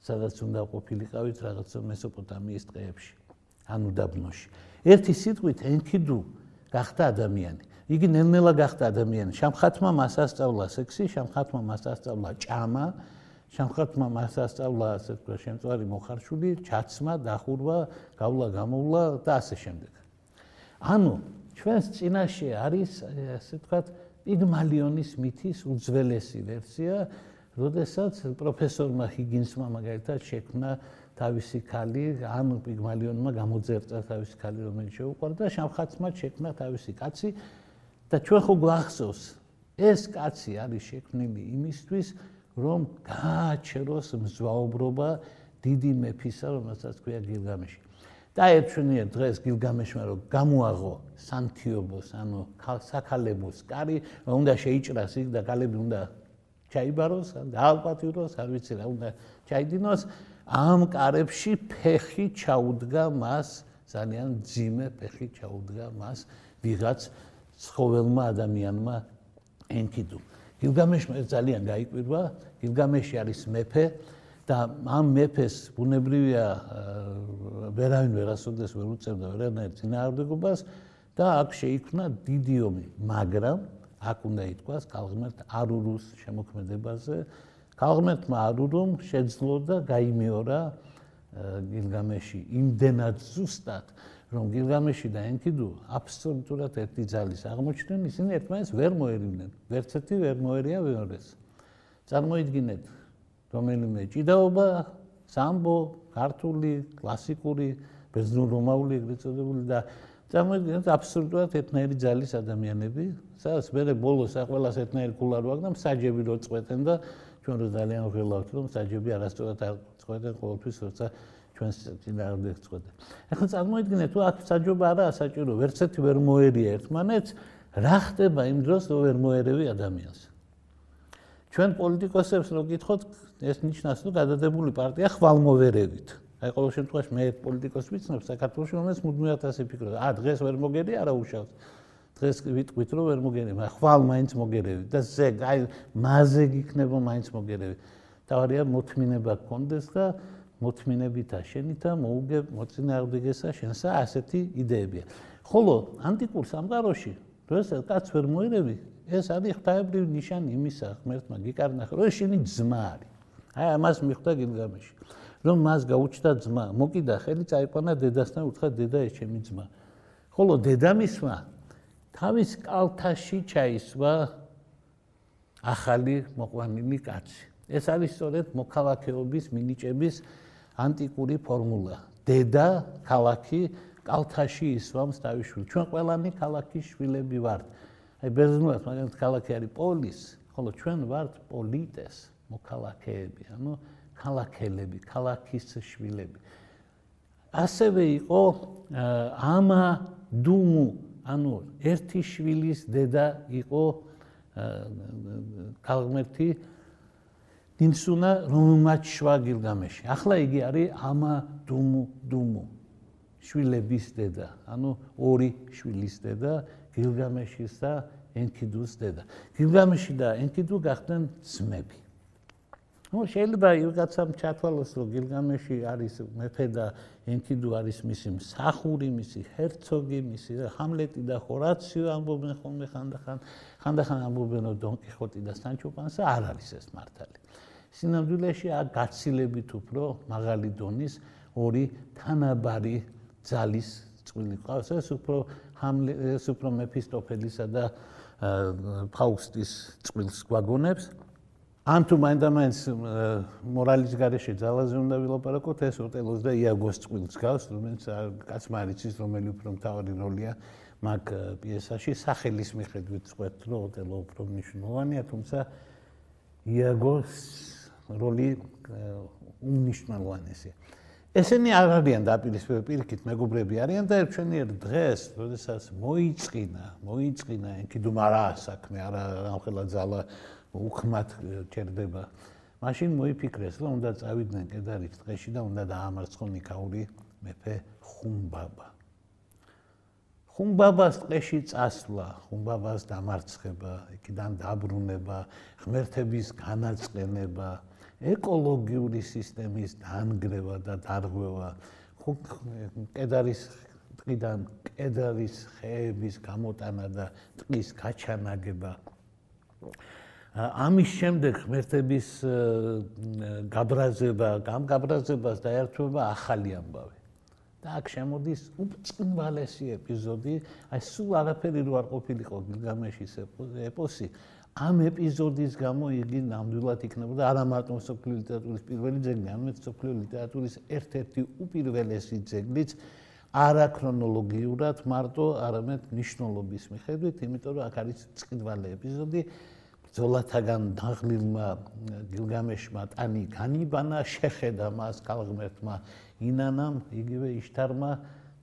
სადაც უნდა ყოფილიყავით რაღაცა მესოპოტამიის ტყეებში, ან უდაბნოში. ერთი სიტყვით ენქიდუ გახდა ადამიანი. იგი ნელ-ნელა გახდა ადამიანი. შამხათმა მას ასწავლა სექსი, შამხათმა მას ასწავლა ჭამა, შამხათმა მას ასწავლა ასე ვთქვათ შემწვარი მოხარშული, ჩაცმა, დახურვა, გავლა-გამოვლა და ასე შემდეგ. ანუ ჩვენს წინაშე არის ასე ვთქვათ პიგმალიონის მითის უძველესი ვერსია, როდესაც პროფესორმა ჰიგინსმა მაგალითად შექმნა თავისი ქალი, ან პიგმალიონმა გამოძერწა თავისი ქალი, რომელიც შეუყვარდა, შამხათმა შექმნა თავისი კაცი და ჩვენ ხო გვახსოვს, ეს კაცი არის შექმნილი იმისთვის, რომ გააჩეროს მზვაუბრობა დიდი მეფისა, რომელსაც ქვია გილგამეში. დაერჩვენია დღეს გილგამეშმა, რომ გამოაღო სანთიობოს, ანუ საქალებოს კარი, უნდა შეიჭრას იქ და ქალები უნდა ჩაიბაროს, დაალპატიუროს, არ ვიცი რა უნდა ჩაიდინოს. ამ კარებში ფეხი ჩაუდგა მას, ძალიან ძიმე ფეხი ჩაუდგა მას ვიღაც ცხოველმა ადამიანმა ენქიდუ. გილგამეშმა ეს ძალიან გაიკვირვა, გილგამეში არის მეფე და ამ მეფეს ბუნებრივია ვერავინ ვერასოდეს ვერ უწევდა ვერანაირ წინააღმდეგობას და აქ შეიქმნა დიდი ომი, მაგრამ აქ უნდა ითქვას ქალღმერთ არურუს შემოქმედებაზე. ქალღმერთმა არურუმ შეძლო და გაიმეორა გილგამეში იმდენად ზუსტად, რომ გილგამეში და ენქიდუ აბსოლუტურად ერთი ძალის აღმოჩნდნენ, ისინი ერთმანეთს ვერ მოერიდნენ. ვერც ერთი ვერ მოერია მეორეს. წარმოიდგინეთ რომელიმე ჭიდაობა, სამბო, ქართული, კლასიკური, ბერძნულ-რომაული ეგრეთ წოდებული და წარმოიდგინეთ აბსოლუტურად ერთნაირი ძალის ადამიანები, სადაც მე ბოლოს ყველას ერთნაირი ქულა რო აქვს და მსაჯები რო წყვეტენ და ჩვენ რო ძალიან ვღელავთ, რომ მსაჯები არასწორად არ წყვეტენ ყოველთვის, როცა ჩვენს წინააღმდეგ წყვეტენ. ახლა წარმოიდგინეთ, თუ აქ საჯობა არაა საჭირო, ვერც ერთი ვერ მოერია ერთმანეთს, რა ხდება იმ დროს, რომ ვერ მოერევი ადამიანს? ჩვენ პოლიტიკოსებს რო გითხოთ, ეს ნიშნავს, რომ გადადებული პარტია ხვალმოვერევით. აი ყოველ შემთხვევაში მე ერთ პოლიტიკოს ვიცნობ საქართველოში, რომელიც მუდმივად ასე ფიქრობს. დღეს ვერ მოგერი, არა უშავს. დღეს ვიტყვით, რომ ვერ მოგერი, მაგრამ ხვალ მაინც მოგერევი და ზეგ, აი მასზე გიქნება მაინც მოგერევი. თავარია მოთმინება გქონდეს და მოთმინებით აშენით და მოუგებ მოწინააღმდეგესა შენსა ასეთი იდეებია. ხოლო ანტიკურ სამყაროში, როდესაც კაც ვერ მოერევი, ეს არის ღვთაებრივი ნიშანი იმისა, ღმერთმა გიკარნახა, რომ შენი ძმა არის. აი ამას მიხვდა გილგამეში. რომ მას გაუჩნდა ძმა, მოკიდა ხელი, წაიყვანა დედასთან, უთხრა დედა ეს ჩემი ძმა. ხოლო დედამისმა თავის კალთაში ჩაისვა ახალი მოყვანილი კაცი. ეს არის სწორედ მოქალაქეობის მინიჭების ანტიკური ფორმულა. დედა ქალაქი კალთაში ისვამს თავის შვილს. ჩვენ ყველანი ქალაქის შვილები ვართ. აი ბერძნულად მაგალითად ქალაქი არის პოლის, ხოლო ჩვენ ვართ პოლიტეს, მოქალაქეები, ანუ ქალაქელები, ქალაქის შვილები. ასევე იყო ამა დუმუ, ანუ ერთი შვილის დედა იყო ქალღმერთი ნიმსუნა, რომელმაც შვა გილგამეში. ახლა იგი არის ამა დუმუ, შვილების დედა, ანუ ორი შვილის დედა, გილგამეშის და ენქიდუს დედა. გილგამეში და ენქიდუ გახდნენ ძმები. შეიძლება ვიღაცამ ჩათვალოს, რომ გილგამეში არის მეფე და ენქიდუ არის მისი მსახური, მისი ჰერცოგი, მისი ჰამლეტი და ჰორაციო ამბობენ ხოლმე ხანდახან ამბობენ, რომ დონ კიხოტი და სანჩო პანსა არ არის ეს მართალი. სინამდვილეში გაცილებით უფრო მაღალი დონის ორი თანაბარი ძალის წყვილი ყავს. ეს უფრო მეფისტოფელისა და ფაუსტის წვილს გვაგონებს. ან თუ მაინდა-მაინც მორალის გარეშე ძალაზე უნდა ვილაპარაკოთ, ეს ოტელოს და იაგოს წვილს გავს, რომელიც კაცმა არ იცის, რომელი უფრო მთავარი როლია მაგ პიესაში. სახელის მიხედვით ვწყვეტ, რომ ოტელო უფრო მნიშვნელოვანია, თუმცა იაგოს როლი უმნიშვნელოვანესია. ესენი არ არიან დაპირისპირებული, პირიქით მეგობრები არიან და ჩვენიერ დღეს, როდესაც მოიწყინა ენქიდუმ არაა საქმე, არა ამხელა ძალა უხმად ჩერდება. მაშინ მოიფიქრეს, რომ უნდა წავიდნენ კედარის ტყეში და უნდა დაამარცხონ იქაური მეფე ხუმბაბა. ხუმბაბას ტყეში წასვლა, ხუმბაბას დამარცხება, იქიდან დაბრუნება, ღმერთების განაწყენება, ეკოლოგიური სისტემის დანგრევა და დარღვევა, კედარის ტყიდან კედარის ხეების გამოტანა და ტყის გაჩანაგება. ამის შემდეგ ღმერთების გაბრაზება, ამ გაბრაზებას დაერთვება ახალი ამბავი. და აქ შემოდის უბრწყინვალესი ეპიზოდი, აი სულ არაფერი რო არ ყოფილიყო გილგამეშის ეპოსი, ამ ეპიზოდის გამო იგი ნამდვილად იქნებოდა არა მარტო მსოფლიო ლიტერატურის პირველი ძეგლი, არამედ მსოფლიო ლიტერატურის ერთ-ერთი უპირველესი ძეგლიც არა ქრონოლოგიურად მარტო, არამედ მნიშვნელობის მიხედვით, იმიტომ რომ აქ არის ბრწყინვალე ეპიზოდი. ბრძოლათაგან დაღლილმა გილგამეშმა ტანი განიბანა, შეხედა მას ქალღმერთმა ინანამ, იგივე იშთარმა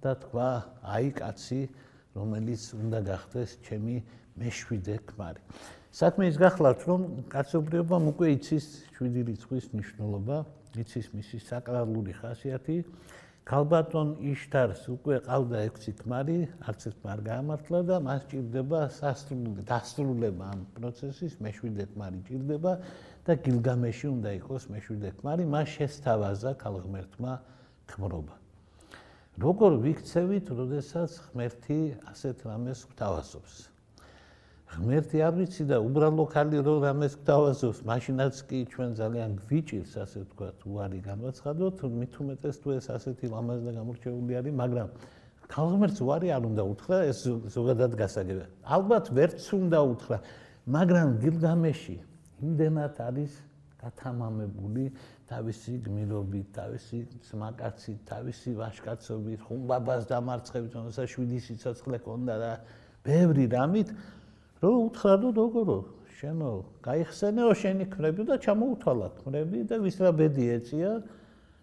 და თქვა, აი კაცი, რომელიც უნდა გახდეს ჩემი მეშვიდე ქმარი. საქმე ის გახლავთ, რომ კაცობრიობამ უკვე იცის 7 რიცხვის მნიშვნელობა, იცის მისი საკრალური ხასიათი. ქალბატონ იშთარს უკვე ყავდა 6 ქმარი, არც ერთმა არ გაამართლა და მას ჭირდება დასრულება ამ პროცესის, მეშვიდე ქმარი ჭირდება და გილგამეში უნდა იყოს მეშვიდე ქმარი, მას შესთავაზა ქალღმერთმა ქმრობა. როგორ ვიქცევით, როდესაც ღმერთი ასეთ რამეს გვთავაზობს? ღმერთი არ ვიცი და უბრალო ხალი რო რამეს გვთავაზობს, მაშინაც კი ჩვენ ძალიან გვიჭირს, ასე ვთქვათ, უარი განვაცხადოთ, მით უმეტეს თუ ეს ასეთი ლამაზი და გამორჩეული არის, მაგრამ ქალღმერთს უარი არ უნდა უთხრა, ეს ზოგადად გასაგებია. ალბათ ვერც უნდა უთხრა, მაგრამ გილგამეში იმდენად არის გათამამებული თავისი გმირობით, თავისი ძმაკაცით, თავისი ვაჟკაცობით, ხუმბაბას დამარცხებით, რომელსაც 7 სიცოცხლე ჰქონდა და ბევრი რამით, რომ უთხრა, რომ როგორო, შენო გაიხსენეო შენი ქმრები და ჩამოუთვალა ქმრები და ვის რა ბედი ეწია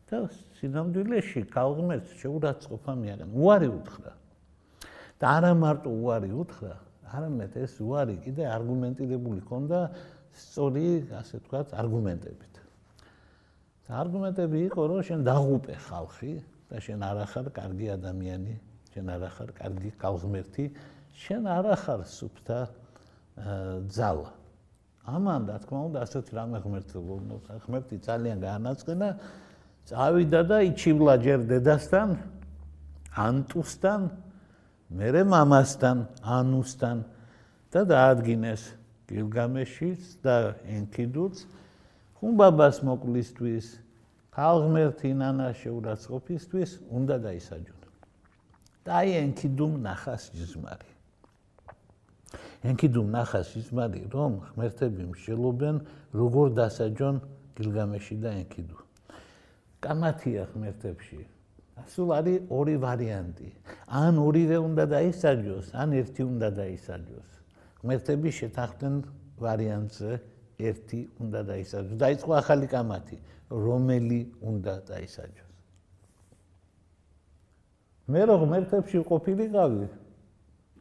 და სინამდვილეში ქალღმერთს შეურაცხყოფა მიაგან. უარი უთხრა. და არა მარტო უარი უთხრა, არამედ ეს უარი კიდე არგუმენტირებული ჰქონდა სწორი, ასე ვთქვათ, არგუმენტებით. და არგუმენტები იყო, რომ შენ დაღუპე ხალხი და შენ არ ახარ კარგი ადამიანი, შენ არ ახარ კარგი ქალღმერთი, შენ არ ახარ სუფთა ძალა. ამან რა თქმა უნდა ასეთი რამე ღმერთი ძალიან გაანაწყენა, წავიდა და იჩივლა ჯერ დედასთან, ანტუსთან, მერე მამასთან, ანუსთან და დაადგინეს გილგამეშიც და ენქიდუც ხუმბაბას მოკლისთვის, ქალღმერთი ინანას შეურაცხყოფისთვის უნდა დაისაჯონ. და აი ენქიდუმ ნახას ჯიზმარი. ენქიდუმ ნახას ჯიზმარი, რომ ღმერთები მსჯელობენ, როგორ დასაჯონ გილგამეში და ენქიდუ. კამათია ღმერთებში. სულ არის ორი ვარიანტი. ან ორივე უნდა დაისაჯოს, ან ერთი უნდა დაისაჯოს. ღმერთები შეთანხმდნენ ვარიანტზე, ერთი უნდა დაისაჯოს. დაიწყო ახალი კამათი, რომელი უნდა დაისაჯოს. მე რო ღმერთებში ყოფილიყავი,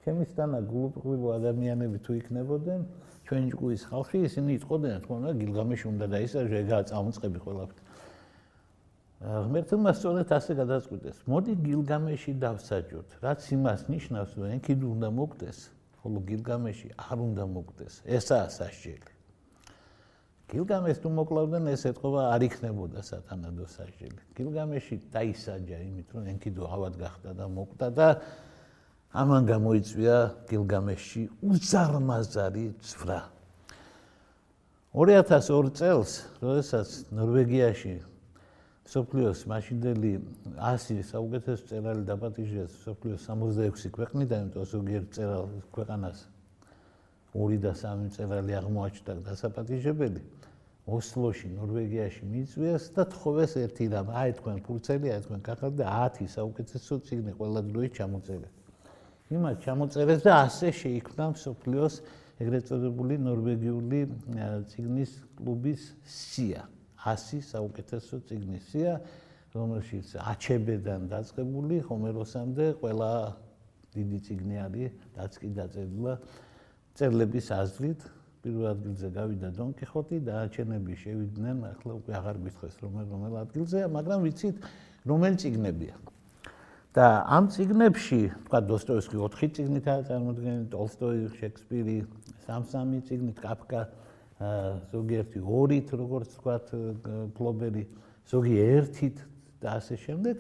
ჩემისთანა გულუბრყვილო ადამიანები თუ იქნებოდნენ, ჩვენ ჭკუის ხალხი, ისინი იტყოდნენ, თქო, გილგამეში უნდა დაისაჯოს, ეგაა წამოწყები ყველაფერი. ღმერთმა სწორედ ასე გადაწყვიტეს. მოდი გილგამეში დავსაჯოთ, რაც იმას ნიშნავს, რომ ენქიდუ უნდა მოკვდეს ხოლო გილგამეში არ უნდა მოკვდეს. ესაა სასჯელი. გილგამეს თუ მოკლავდნენ, ეს ეთყობა არ იქნებოდა სათანადო სასჯელი. გილგამეში დაისაჯა იმით, რომ ენქიდუ ავად გახდა და მოკვდა და ამან გამოიწვია გილგამეში უზარმაზარი ცვრა. 2002 წელს, როდესაც ნორვეგიაში მსოფლიოს მაშინდელი 100 საუკეთესო მწერალი დაპატიჟეს მსოფლიოს 66 ქვეყნიდან, იმიტომ ზოგიერთ მწერალ ქვეყანას 2 და 3 მწერალი აღმოაჩნდა დასაპატიჟებელი. ოსლოში, ნორვეგიაში მიიწვიეს და თხოვეს ერთი რამ, აი თქვენ ფურცელი, აი თქვენ კახალ და 10 საუკეთესო წიგნი ყველა დროის ჩამოწერეთ. იმათ ჩამოწერეს და ასე შეიქმნა მსოფლიოს ეგრეთ წოდებული ნორვეგიული წიგნის კლუბის სია. 100 საუკეთესო წიგნის სია, რომელშიც აჩებედან დაწყებული ჰომეროსამდე ყველა დიდი წიგნი არის დაწერილი წერლების აზრით. პირველ ადგილზე გავიდა დონ კიხოტი, დანარჩენები შევიდნენ, ახლა უკვე აღარ გითხრეს რომელ ადგილზეა, მაგრამ ვიცით რომელი წიგნებია. და ამ წიგნებში, თქვა დოსტოევსკი 4 წიგნითაა წარმოდგენილი, ტოლსტოი, შექსპირი 3 წიგნით, კაფკა ზოგიერთი 2-ით, როგორც თქვათ, ფლობერი, ზოგი 1-ით და ასე შემდეგ.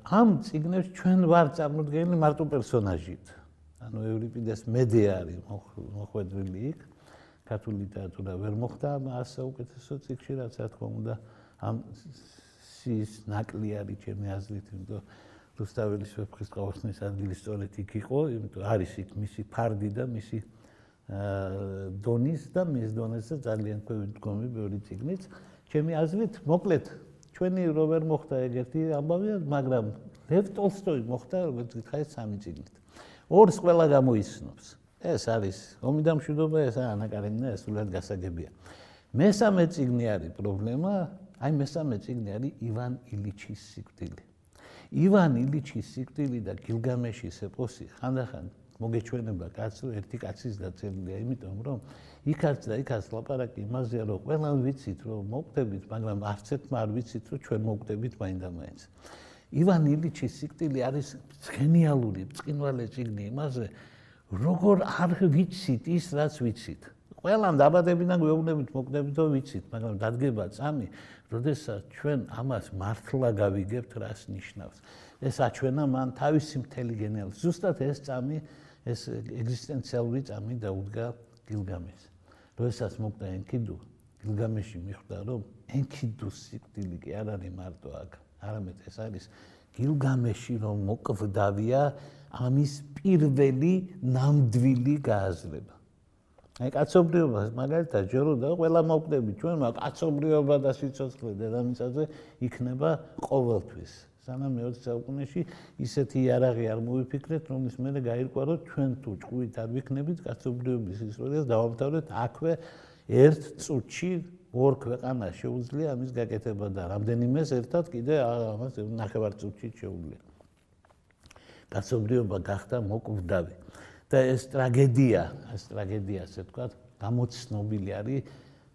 ამ წიგნებში ჩვენ ვარ წარმოდგენილი მარტო პერსონაჟით. ანუ ევრიპიდეს მედე არის მოხვედრილი იქ, ქართული ლიტერატურა ვერ მოხდა მას საუკეთესო წიგნში, რაც რა თქმა უნდა ამ სიის ნაკლი არის ჩემი აზრით, იმიტომ რუსთაველის ვეფხის ყაოსნის ადგილი სწორედ იქ იყო, იმიტომ არის იქ მისი ფარდი და მისი დონის და მის დონეზე ძალიან დგომი ბევრი წიგნიც. ჩემი აზრით, მოკლედ, ჩვენი რო ვერ მოხდა ეგეთი ამბავია, მაგრამ ლევ ტოლსტოი მოხდა, როგორც გითხარით, 3 წიგნით. ორს ყველა გამოიცნობს. ეს არის ომი და მშვიდობა, ეს ანაკარენა, ეს სულად გასაგებია. მესამე წიგნი არის პრობლემა, აი მესამე წიგნი არის ივან ილიჩის სიკვდილი. ივან ილიჩის სიკვდილი და გილგამეშის ეპოსი ხანდახან მოგეჩვენება კაცს, რომ ერთი კაცის დაწერილია, იმიტომ რომ იქაც და იქაც ლაპარაკი იმაზეა, რომ ყველამ ვიცით, რომ მოკვდებით, მაგრამ არც ერთმა არ ვიცით, რომ ჩვენ მოკვდებით მაინდა-მაინც. ივან ილიჩის სიკვდილი არის გენიალური, ბრწყინვალე წიგნი იმაზე, როგორ არ ვიცით ის, რაც ვიცით. ყველამ დაბადებიდან გვეუბნებით, მოკვდებით, რომ ვიცით, მაგრამ დადგება წამი, როდესაც ჩვენ ამას მართლა გავიგებთ, რას ნიშნავს. ეს აჩვენა მან თავისი მთელი გენიალობა. ზუსტად ეს წამი, ეს ეგზისტენციალური წამი დაუდგა გილგამეს. როდესაც მოკვდა ენქიდუ, გილგამეში მიხვდა, რომ ენქიდუს სიკვდილი კი არ არის მარტო აქ. არამედ ეს არის გილგამეში რომ მოკვდავია ამის პირველი ნამდვილი გააზრება. აი კაცობრიობას მაგალითად ჯეროდა ყველა მოკვდები ჩვენ, მაგრამ კაცობრიობა და სიცოცხლე დედამიწაზე იქნება ყოველთვის. სანამ მე-20 საუკუნეში ისეთი იარაღი არ მოვიფიქრეთ, რომლის მერე გაირკვა, რომ ჩვენ თუ ჭკვით არ ვიქნებით კაცობრიობის ისტორიას დავამთავრეთ აქვე ერთ წუთში. 2 ქვეყანას შეუძლია ამის გაკეთება და რამდენიმეს ერთად კიდე ამას ნახევარ წუთში შეუძლია. კაცობრიობა გახდა მოკვდავი და ეს ტრაგედია, ასე ვთქვათ, გამოცნობილი არის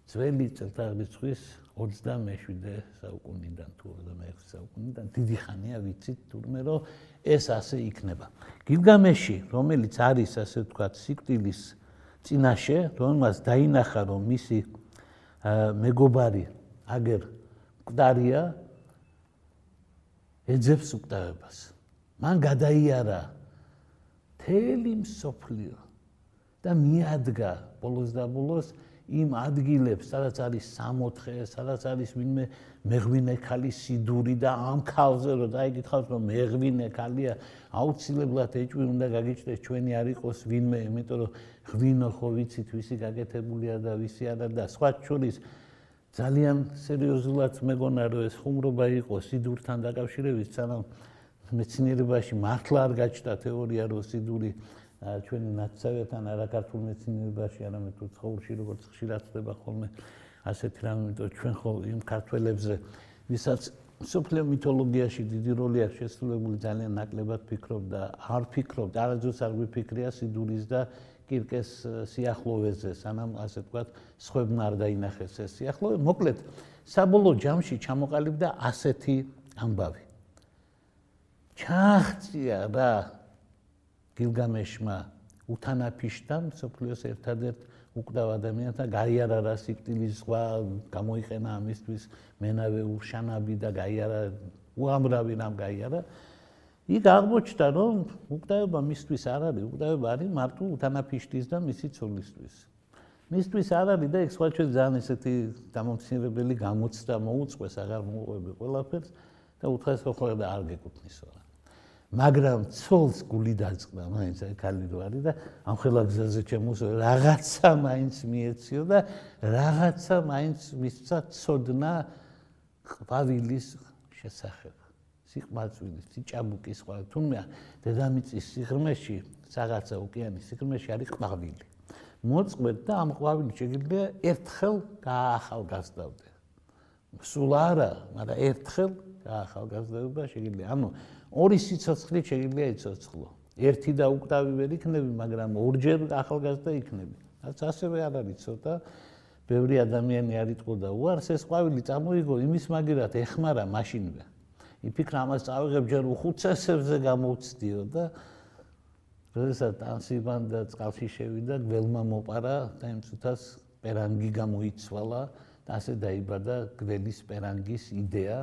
ძველი წელთაღრიცხვის 27 საუკუნიდან თუ 26 საუკუნიდან. დიდი ხანია ვიცით თურმე რომ ეს ასე იქნება. გილგამეში, რომელიც არის ასე ვთქვათ, სიკვდილის წინაშე, რომელმაც დაინახა რომ მისი მეგობარი აგერ მკვდარია, ეძებს უკტავებას. მან გადაიარა მთელი მსოფლიო და მიადგა ბოლოს და ბოლოს იმ ადგილებს, სადაც არის სამოთხე, სადაც არის ვინმე მეღვინე ქალის სიდური და ამ ქალზე რომ დაიგითხავს, რომ მეღვინე ქალია, აუცილებლად ეჭვი უნდა გაგიჩნდეს, ჩვენი არ იყოს ვინმე, იმიტომ რომ ღვინო ხო ვიცით, ვისი გაკეთებულია და ვისი არა და სხვა შორის ძალიან სერიოზულად მეგონა რომ ეს ხუმრობა იყო სიდურთან დაკავშირებით, სანამ მეცნიერებაში მართლა არ გაჩნდა თეორია რომ სიდური ჩვენი ნაცსავეთან არა ქართულ მეცნიერებაში, არამედ თუ ცხოვრში როგორც ხშირად ხდება ხოლმე ასეთი რამე, იმიტომ ჩვენ ხო იმ ქართველებზე, ვისაც მსოფლიო მითოლოგიაში დიდი როლი აქვს შესრულებული, ძალიან ნაკლებად ფიქრობ და არ ფიქრობ, არასდროს არ გვიფიქრია სიდურის და კირკეს სიახლოვეზე, სანამ ასე ვთქვათ, სხვებმა არ დაინახეს ეს სიახლოვე. მოკლედ, საბოლოო ჯამში ჩამოყალიბდა ასეთი ამბავი. ჩააღწია რა გილგამეშმა უთანაფიშდა მსოფლიოს ერთადერთ უკვდავ ადამიანთა გაიარა რა სიკვდილის ზღვა გამოიყენა ამისთვის მენავე ურშანაბი და გაიარა უამრავი რამ გაიარა იქ აღმოჩნდა რომ უკვდავება მისთვის არ არისკვდავება არის მარტო უთანაფიშტის და მისი ცოლისთვის მისთვის არ არის და ეგ სხვა ჩვენ ძალიან ესეთი დამამცირებელი გამოცდა მოუწყვეს აღარ მოუყვები ყველაფერს და უთხეს ხო და არ გეკუთვნისო რა მაგრამ ცოლს გული დაწყდა მაინც აი ქალი რო არის და ამ ხელა გზაზე ჩემოსო რაღაცა მაინც მიეციო და რაღაცა მაინც მისცა ცოდნა ყვავილის შესახებ სიყმაწვილის სიჭაბუკის სხვა თუნდაც დედამიწის სიღრმეში რაღაცა ოკეანის სიღრმეში არის ყვავილი მოწყვეთ და ამ ყვავილს შეგიძლია ერთხელ გაახალგაზრდავდე სულ არა მაგრამ ერთხელ გაახალგაზრდობა შეგიძლია ანუ ორი სიცოცხლით შეგიძლია იცოცხლო ერთი და უკვდავი ვერ იქნები მაგრამ ორჯერ ახალგაზრდა იქნები რაც ასევე არ არის ცოტა ბევრი ადამიანი არ იტყოდა უარს ეს ყვავილი წამოიგო იმის მაგერად ეხმარა მაშინვე იფიქრა ამას წავიღებ ჯერ უხუცესებზე გამოვცდიო და როდესაც ტანსიბან და წყალში შევიდა გველმა მოპარა და იმ წუთას პერანგი გამოიცვალა და ასე დაიბადა გველის პერანგის იდეა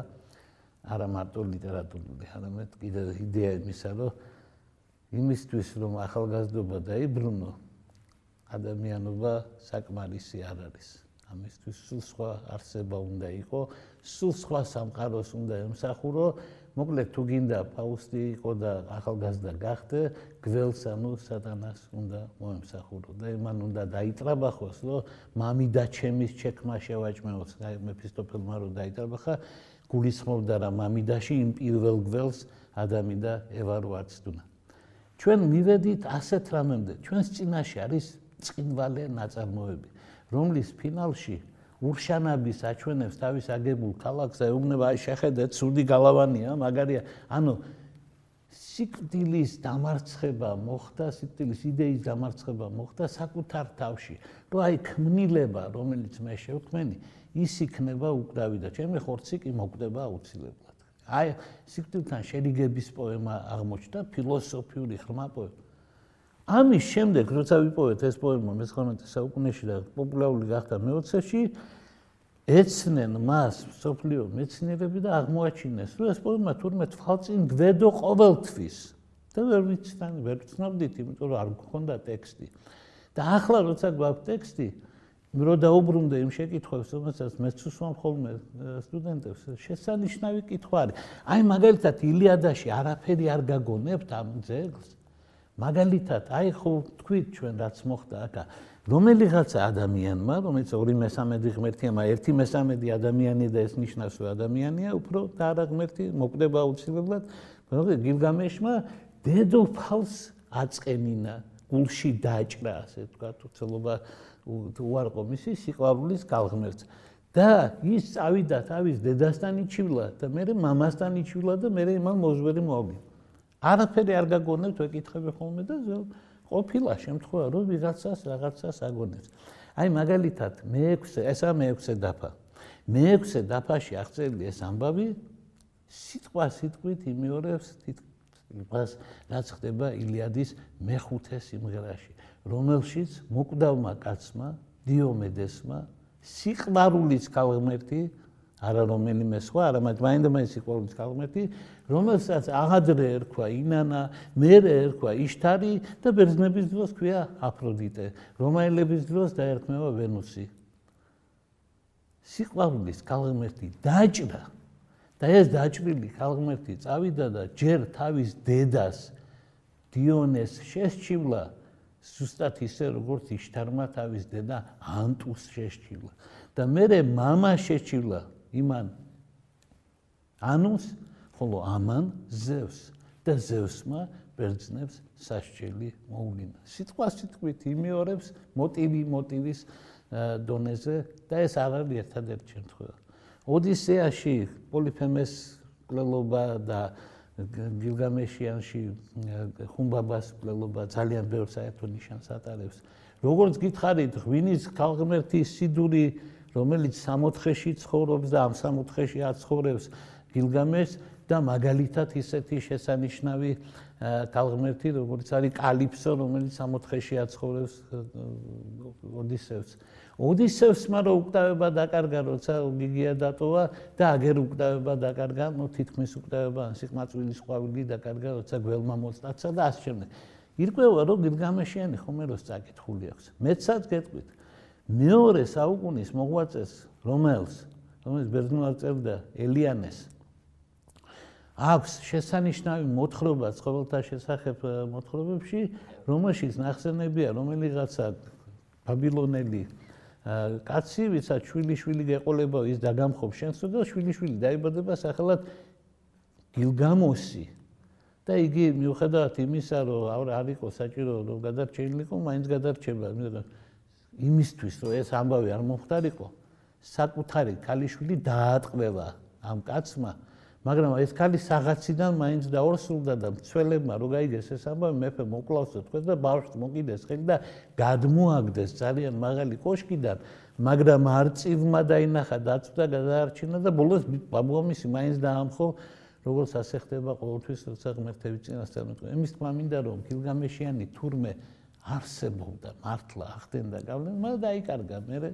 არა მარტო ლიტერატურული, არამედ კიდევ იდეა იმისა, რომ იმისთვის რომ ახალგაზრდობა დაიბრუნო, ადამიანობა საკმარისი არ არის. ამისთვის სულ სხვა არსება უნდა იყო, სულ სხვა სამყაროს უნდა ემსახურო, მოკლედ თუ გინდა ფაუსტი იყო და ახალგაზრდა გახდე, გველს ანუ სატანას უნდა მოემსახურო და იმან უნდა დაიტრაბახოს, რომ მამიდა ჩემის ჩექმა შევაჭმეოს, მეფისტოფელმა რო დაიტრაბახა გულისხმობდა რა მამიდაში იმ პირველ გველს ადამი და ევა რო არცდუნა. ჩვენ მივედით ასეთ რამემდე, ჩვენს წინაშე არის წინვალე ნაწარმოები, რომლის ფინალში ურშანაბის აჩვენებს თავის აგებულ ქალაქს და ეუბნება აი შეხედეთ, ცუდი გალავანია, მაგარია, ანუ სიკვდილის დამარცხება მოხდა, სიკვდილის იდეის დამარცხება მოხდა საკუთარ თავში, რომ აი ქმნილება, რომელიც მე შევქმენი, ის იქნება უკვდავი და ჩემი ხორცი კი მოკვდება აუცილებლად. აი სიკვდილთან შერიგების პოემა აღმოჩნდა, ფილოსოფიური ღრმა პოემა. ამის შემდეგ, როცა ვიპოვეთ ეს პოემა მე-19 საუკუნეში და პოპულარული გახდა მე-20-ში, ეცნენ მას მსოფლიო მეცნიერები და აღმოაჩინეს, რომ ეს პოემა თურმე თვალწინ გვედო ყოველთვის. და ვერ ვცნობდით, იმიტომ რომ არ გქონდა ტექსტი. და ახლა როცა გვაქვს ტექსტი, რო დაუბრუნდე იმ შეკითხვებს, რომელსაც მეც უსვამ ხოლმე სტუდენტებს, შესანიშნავი კითხვა არის. აი მაგალითად ილიადაში არაფერი არ გაგონებთ ამ ძეგლს. მაგალითად, აი ხო თქვით ჩვენ რაც მოხდა აქა, რომელიღაცა ადამიანმა, რომელიც 2/3 ღმერთია, მაგრამ 1/3 ადამიანი და ეს ნიშნავს რომ ადამიანია, უფრო და არა ღმერთი, მოკვდება აუცილებლად, გილგამეშმა დედოფალს აწყენინა, გულში დაჭრა, ასე ვთქვათ, უცელობა უარყო მისი სიყვარულის გალღმერთს. და ის წავიდა თავის დედასთან იჩივლა და მერე მამასთან იჩივლა და მერე იმან მოძვერი მოაგვი. არაფერი არ გაგონებთ, ვეკითხები ხოლმე და ყოფილა შემთხვევა, რომ ვიღაცას რაღაცას აგონებს. აი მაგალითად, ესაა მე-6 დაფა. მე-6 დაფაში აღწერილი ეს ამბავი სიტყვა სიტყვით იმეორებს თითქმის რაც ხდება ილიადის მე-5 სიმღერაში, რომელშიც მოკვდავმა კაცმა, დიომედესმა, სიყვარულის ქალღმერთი, არა რომელიმე სხვა, არამედ მაინდა-მაინც სიყვარულის ქალღმერთი, რომელსაც აღადრე ერქვა ინანა, მერე ერქვა იშტარი და ბერძნების დროს ქვია აფროდიტე, რომაელების დროს დაერქმევა ვენუსი. სიყვარულის ქალღმერთი დაჭრა და ეს დაჭრილი ქალღმერთი წავიდა და ჯერ თავის დედას დიონეს შესჩივლა, ზუსტად ისე როგორც იშტარმა თავის დედა ანტუს შესჩივლა და მერე მამა შეჩივლა იმან ანუს, ხოლო ამან ზევს და ზევსმა ბერძნებს სასჯელი მოულინა. სიტყვა სიტყვით იმეორებს მოტივის დონეზე და ეს არ არის ერთადერთი შემთხვევა. ოდისეაში პოლიფემეს მკვლელობა და გილგამეშიანში ხუმბაბას მკვლელობა ძალიან ბევრ საერთო ნიშანს ატარებს. როგორც გითხარით, ღვინის ქალღმერთის სიდური, რომელიც 64-ში ცხოვრობს და ამ 64-ში აცხოვრებს გილგამეშს და მაგალითად ისეთი შესანიშნავი თალღმერთი, როგორც არის კალიფსო, რომელიც 64-ში აცხოვრებს ოდისევს. ოდისევსმა რო უკტავება დაკარგა, როცა გიგია დატოვა და აგერ უკტავება დაკარგა, თითქმის უკტავება სიყმაწვილის ყვავილი დაკარგა, როცა გველმა მოწდაცა და ასე შემდეგ. ირკვევა, რომ გილგამეშიანი ხომეროს წაკითხული აქვს. მეცაც გეტყვით, მეორე საუკუნის მოღვაწეს, რომელიც ბერძნულად წერდა ელიანეს, აქვს შესანიშნავი მოთხრობა ცხოველთა შესახებ მოთხრობებში, რომელშიც ნახსენებია რომელიღაცა ბაბილონელი კაცი, ვისაც შვილიშვილი გეყოლება, ის დაგამხობს შენსო და შვილიშვილი დაიბადება სახელად გილგამოსი. და იგი მიუხედავად იმისა, რომ არ იყო საჭირო რომ გადარჩენილიყო, მაინც გადარჩება, იმისთვის, რომ ეს ამბავი არ მომხდარიყო, საკუთარი ქალიშვილი დაატყვევა ამ კაცმა, მაგრამ ეს ქალი საღაციდან მაინც დაორსულდა და მცველებმა რო გაიგეს ეს ამბავი, მეფე მოკლავსო თქვენ და ბავშვს მოკიდეს ხელი და გადმოაგდეს ძალიან მაღალი კოშკიდან, მაგრამ არწივმა დაინახა, დაწვდა, გადაარჩინა და ბოლოს ბაბუამისი მაინც დაამხო, როგორც ასე ხდება ყოველთვის, როცა ღმერთები წინასწარ მეტყვი. იმის თქმა მინდა, რომ გილგამეშიანი თურმე არსებობდა, მართლა ახდენდა გავლენა, მაგრამ დაიკარგა მერე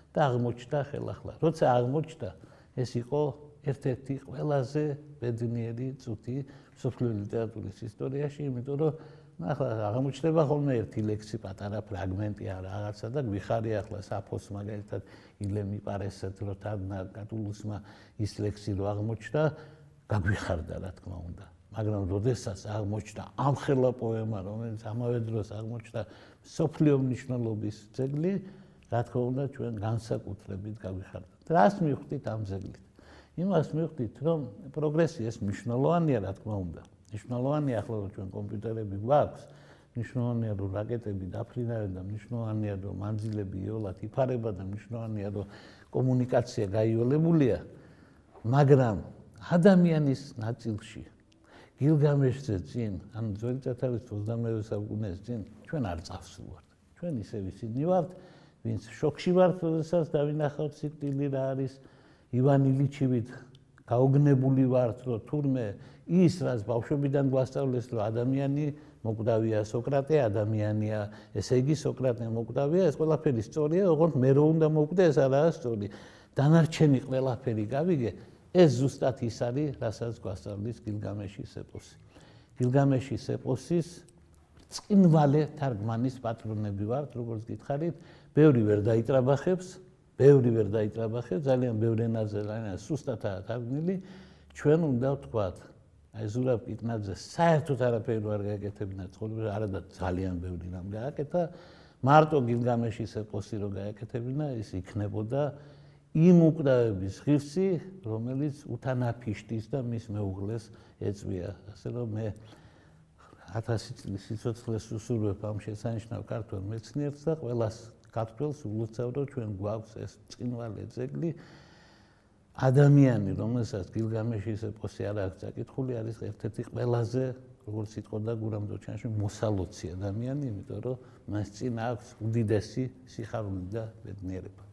და აღმოჩნდა ხელახლა. როცა აღმოჩნდა, ეს იყო ერთ-ერთი ყველაზე ბედნიერი წუთი მსოფლიო ლიტერატურის ისტორიაში, იმიტომ რომ ახლა აღმოჩნდება ხოლმე ერთი ლექსი, პატარა ფრაგმენტი ან რაღაცა და გვიხარია ახლა საფოს მაგალითად ილემი პარესეთ, რომ კატულუსმა ის ლექსი რო აღმოჩნდა, გაგვიხარდა რა თქმა უნდა. მაგრამ როდესაც აღმოჩნდა ამხელა პოემა, რომელიც ამავე დროს აღმოჩნდა მსოფლიო მნიშვნელობის ძეგლი, რა თქმა უნდა ჩვენ განსაკუთრებით გაგვიხარდა. რას მივხვდით ამ ძეგლით? იმას მივხვდით, რომ პროგრესი ეს მნიშვნელოვანია, რა თქმა უნდა. მნიშვნელოვანია ახლა რომ ჩვენ კომპიუტერები გვაქვს, მნიშვნელოვანია რომ რაკეტები დაფრინავენ და მნიშვნელოვანია რომ მანძილები იოლად იფარება და მნიშვნელოვანია რომ კომუნიკაცია გაიოლებულია, მაგრამ ადამიანის ნაწილში გილგამეშზე წინ, ან ძველი წარწერის 22 საუკუნეს წინ ჩვენ არ წავსულვართ. ჩვენ ისევ ისინი ვართ, ვინც შოქში ვართ, როდესაც დავინახავთ სიკვდილი რა არის, ივან ილიჩივით გაოგნებული ვართ, რომ თურმე ის, რაც ბავშვობიდან გვასწავლეს, რომ ადამიანი მოკვდავია, სოკრატე ადამიანია, ესე იგი სოკრატე მოკვდავია, ეს ყველაფერი სწორია, ოღონდ მე რო უნდა მოკვდე, ეს არაა სწორი. დანარჩენი ყველაფერი გავიგე, ეს ზუსტად ის არის, რასაც გვასწავლის გილგამეშის ეპოსი. გილგამეშის ეპოსის წინვალე თარგმანის პატრონები ვართ, როგორც გითხარით, ბევრი ვერ დაიტრაბახებს, ძალიან ბევრ ენაზე, ძალიან სუსტადაა თარგმნილი, ჩვენ უნდა ვთქვათ, აი ზურაბ კიტნაძე საერთოდ არაფერი არ გააკეთებინა ცხოვრებაში, არადა ძალიან ბევრი რამ გააკეთა, მარტო გილგამეშის ეპოსი რო გააკეთებინა, ის იქნებოდა იმ უკვდავების ღირსი, რომელიც უთანაფიშტის და მის მეუღლეს ეწვია. ასე რომ მე 1000 წლის სიცოცხლეს უსურვებ ამ შესანიშნავ ქართველ მეცნიერს და ყველას ქართველს ულოცავ, რომ ჩვენ გვაქვს ეს წინვალე ძეგლი. ადამიანი, რომელსაც გილგამეშის ეპოსი არ აქვს წაკითხული, არის ერთ-ერთი ყველაზე, როგორც იტყოდა გურამ დოჩანში, მოსალოცი ადამიანი, იმიტომ რომ მას წინ აქვს უდიდესი სიხარული და ბედნიერება.